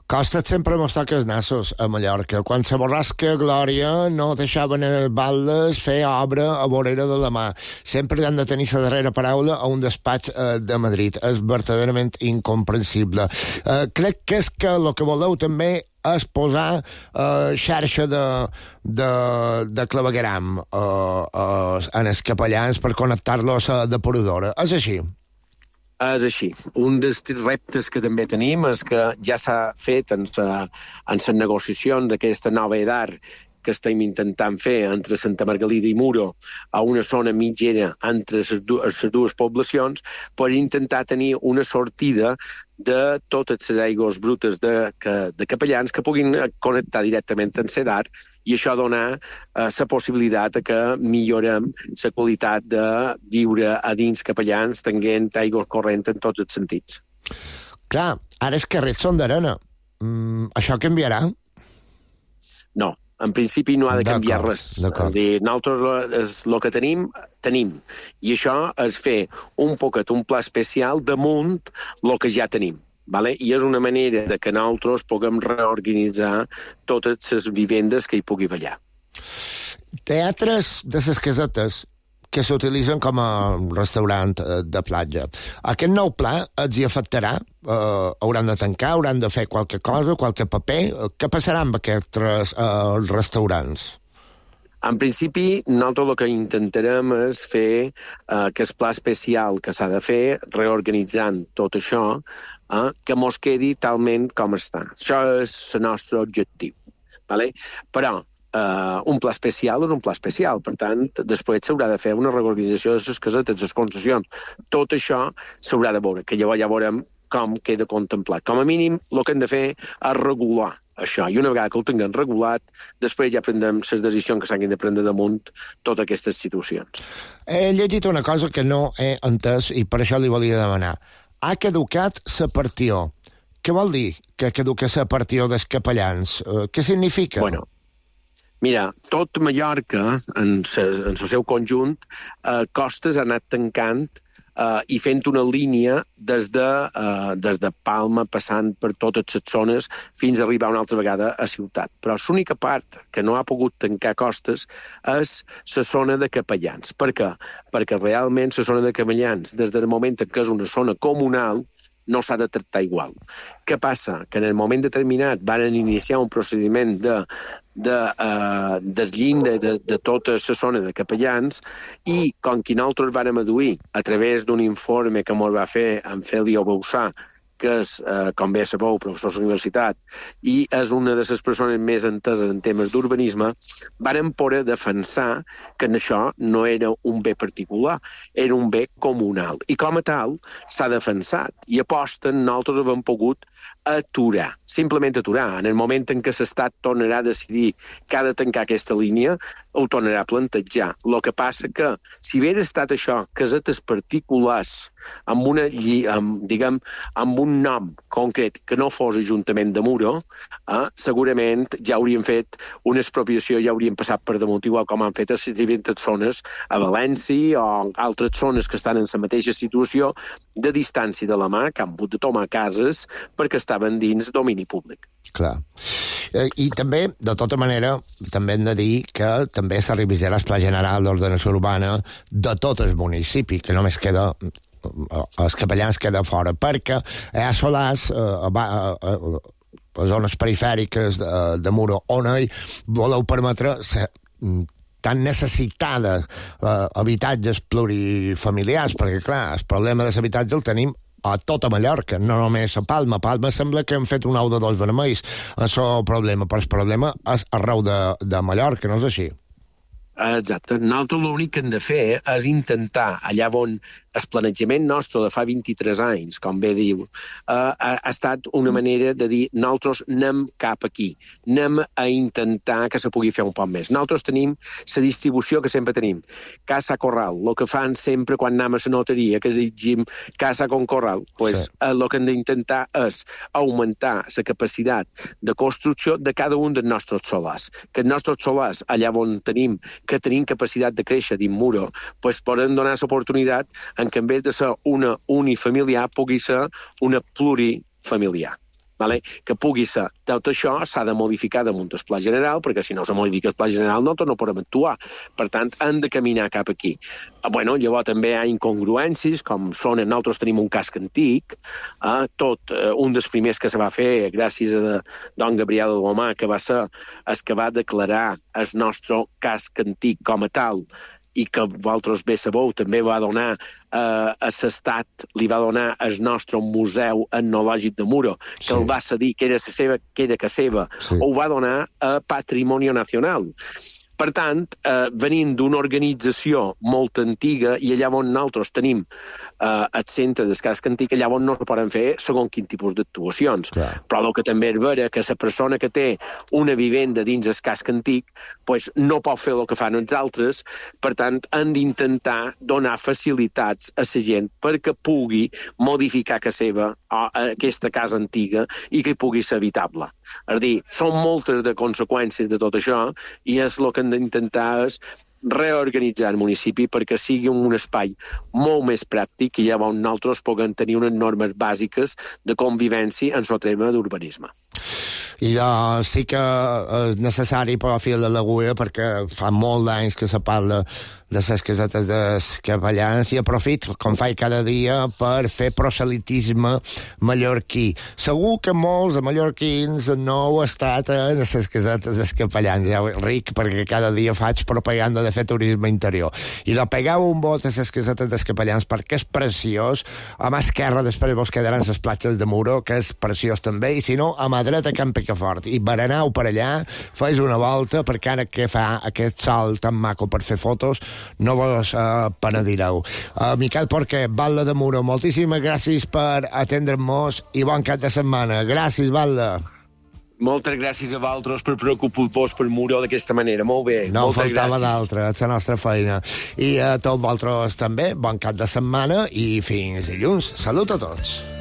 Costa sempre mos toca els nassos a Mallorca. Quan se borrasca Glòria no deixaven els baldes fer obra a vorera de la mà. Sempre han de tenir la darrera paraula a un despatx eh, de Madrid. És verdaderament incomprensible. Eh, crec que és que el que voleu també és posar eh, xarxa de, de, de clavegueram eh, eh, en els capellans per connectar-los a la depuradora. És així? És així. Un dels reptes que també tenim és que ja s'ha fet en les negociacions d'aquesta nova edat que estem intentant fer entre Santa Margalida i Muro a una zona mitgera entre les dues, dues poblacions per intentar tenir una sortida de totes les aigües brutes de, de capellans que puguin connectar directament amb Serar i això donar eh, la possibilitat de que millorem la qualitat de viure a dins capellans tenint aigua corrent en tots els sentits. Clar, ara els carrers són d'arena. Mm, això canviarà? No. En principi no ha de canviar res. És dir, nosaltres és el que tenim, tenim. I això és fer un poquet, un pla especial damunt el que ja tenim. Vale? I és una manera de que nosaltres puguem reorganitzar totes les vivendes que hi pugui haver. Teatres de les casetes que s'utilitzen com a restaurant de platja. Aquest nou pla els hi afectarà? Uh, hauran de tancar? Hauran de fer qualque cosa? Qualque paper? Què passarà amb aquests uh, restaurants? En principi, nosaltres el que intentarem és fer uh, aquest pla especial que s'ha de fer, reorganitzant tot això, uh, que mos quedi talment com està. Això és el nostre objectiu. Vale? Però Uh, un pla especial és un pla especial, per tant, després s'haurà de fer una reorganització de les casetes, les concessions. Tot això s'haurà de veure, que llavors ja veurem com queda contemplat. Com a mínim, el que hem de fer és regular això, i una vegada que ho tinguem regulat, després ja prendrem les decisions que s'hagin de prendre damunt totes aquestes situacions. He llegit una cosa que no he entès i per això li volia demanar. Ha caducat la partió. Què vol dir que caduca la partió dels capellans? Uh, què significa? Bueno, mira, tot Mallorca, en el seu conjunt, eh, Costes ha anat tancant eh, i fent una línia des de, eh, des de Palma, passant per totes les zones, fins a arribar una altra vegada a Ciutat. Però l'única part que no ha pogut tancar Costes és la zona de capellans. Per què? Perquè realment la zona de capellans, des del moment en què és una zona comunal, no s'ha de tractar igual. Què passa? Que en el moment determinat van iniciar un procediment de, de uh, desllinda de, de tota la zona de capellans i, com que nosaltres vam aduir a través d'un informe que ens va fer en Félio Bausà, que és, eh, com bé sabeu, professor de la universitat, i és una de les persones més enteses en temes d'urbanisme, varen poder defensar que això no era un bé particular, era un bé comunal. I com a tal, s'ha defensat. I aposten, nosaltres hem pogut aturar, simplement aturar. En el moment en què l'Estat tornarà a decidir que ha de tancar aquesta línia, ho tornarà a plantejar. El que passa que, si hagués estat això, casetes particulars, amb, una, amb, diguem, amb un nom concret que no fos Ajuntament de Muro, eh, segurament ja haurien fet una expropiació, ja haurien passat per damunt, igual com han fet a les diferents zones a València o altres zones que estan en la mateixa situació de distància de la mà, que han hagut de tomar cases perquè estaven dins domini públic. Clar. I també, de tota manera, també hem de dir que també s'ha revisat el Pla General d'Ordenació Urbana de tot el municipi, que només queda els capellans queda fora, perquè hi ha solars a, a, a, a zones perifèriques de, de Muro, on hi voleu permetre ser tan necessitada uh, habitatges plurifamiliars, perquè, clar, el problema de l'habitatge el tenim a tota Mallorca, no només a Palma. A Palma sembla que hem fet un ou de dos vermells. Això és el problema, però el problema és arreu de, de Mallorca, no és així? Exacte. Nosaltres l'únic que hem de fer és intentar, allà on el planejament nostre de fa vint-i-tres anys, com bé diu, eh, ha, ha estat una manera de dir nosaltres anem cap aquí, anem a intentar que se pugui fer un poc més. Nosaltres tenim la distribució que sempre tenim. Casa Corral, el que fan sempre quan anem a la notaria, que digim Casa con Corral, pues, sí. eh, el que hem d'intentar és augmentar la capacitat de construcció de cada un dels nostres solars. Que els nostres solars, allà on tenim que tenim capacitat de créixer dins Muro, pues poden donar l'oportunitat en què en vez de ser una unifamiliar pugui ser una plurifamiliar. vale? Que pugui ser. Tot això s'ha de modificar damunt el pla general, perquè si no se modifica el pla general nosaltres no podem actuar. Per tant, hem de caminar cap aquí. Bueno, llavors també hi ha incongruències, com són, nosaltres tenim un casc antic, eh, tot, eh, un dels primers que se va fer gràcies a don Gabriel Gomà, que va ser el que va declarar el nostre casc antic com a tal, i que vosaltres bé sabeu, també va donar eh, a l'Estat, li va donar el nostre Museu Etnològic de Muro, que sí. El va cedir, que era la seva, que era que seva, sí. Ho va donar a Patrimonio Nacional. Per tant, eh, venint d'una organització molt antiga, i allà on nosaltres tenim eh, el centre del casc antic, allà on no es poden fer segons quin tipus d'actuacions. Clar. Però el que també és vera que la persona que té una vivenda dins el casc antic pues, no pot fer el que fan els altres, per tant, han d'intentar donar facilitats a la gent perquè pugui modificar casa seva a aquesta casa antiga i que pugui ser habitable. És a dir, són moltes de conseqüències de tot això i és el que hem d'intentar és reorganitzar el municipi perquè sigui un espai molt més pràctic i llavors nosaltres puguem tenir unes normes bàsiques de convivència en el tema d'urbanisme. I uh, sí que és necessari per a fil de l'agulla perquè fa molt d'anys que se parla de les casetes dels capellans i aprofit, com faig cada dia, per fer proselitisme mallorquí. Segur que molts de mallorquins no heu estat en les casetes dels capellans. Ja ric, perquè cada dia faig propaganda de fer turisme interior. I de pegar un vot a les casetes dels capellans perquè és preciós. A mà esquerra després vos quedaran les platges de Muro, que és preciós també, i si no, a mà dreta Camp Picafort. I berenau per allà, fes una volta, perquè ara que fa aquest sol tan maco per fer fotos, no vos uh, penedireu. Uh, Miquel Porquer, Batlle de Muro, moltíssimes gràcies per atendre'ns i bon cap de setmana. Gràcies, Batlle. Moltes gràcies a vosaltres per preocupar-vos per Muro d'aquesta manera. Molt bé. No moltes faltava gràcies. d'altra, és la nostra feina. I a tots vosaltres també, bon cap de setmana i fins dilluns. Salut a tots.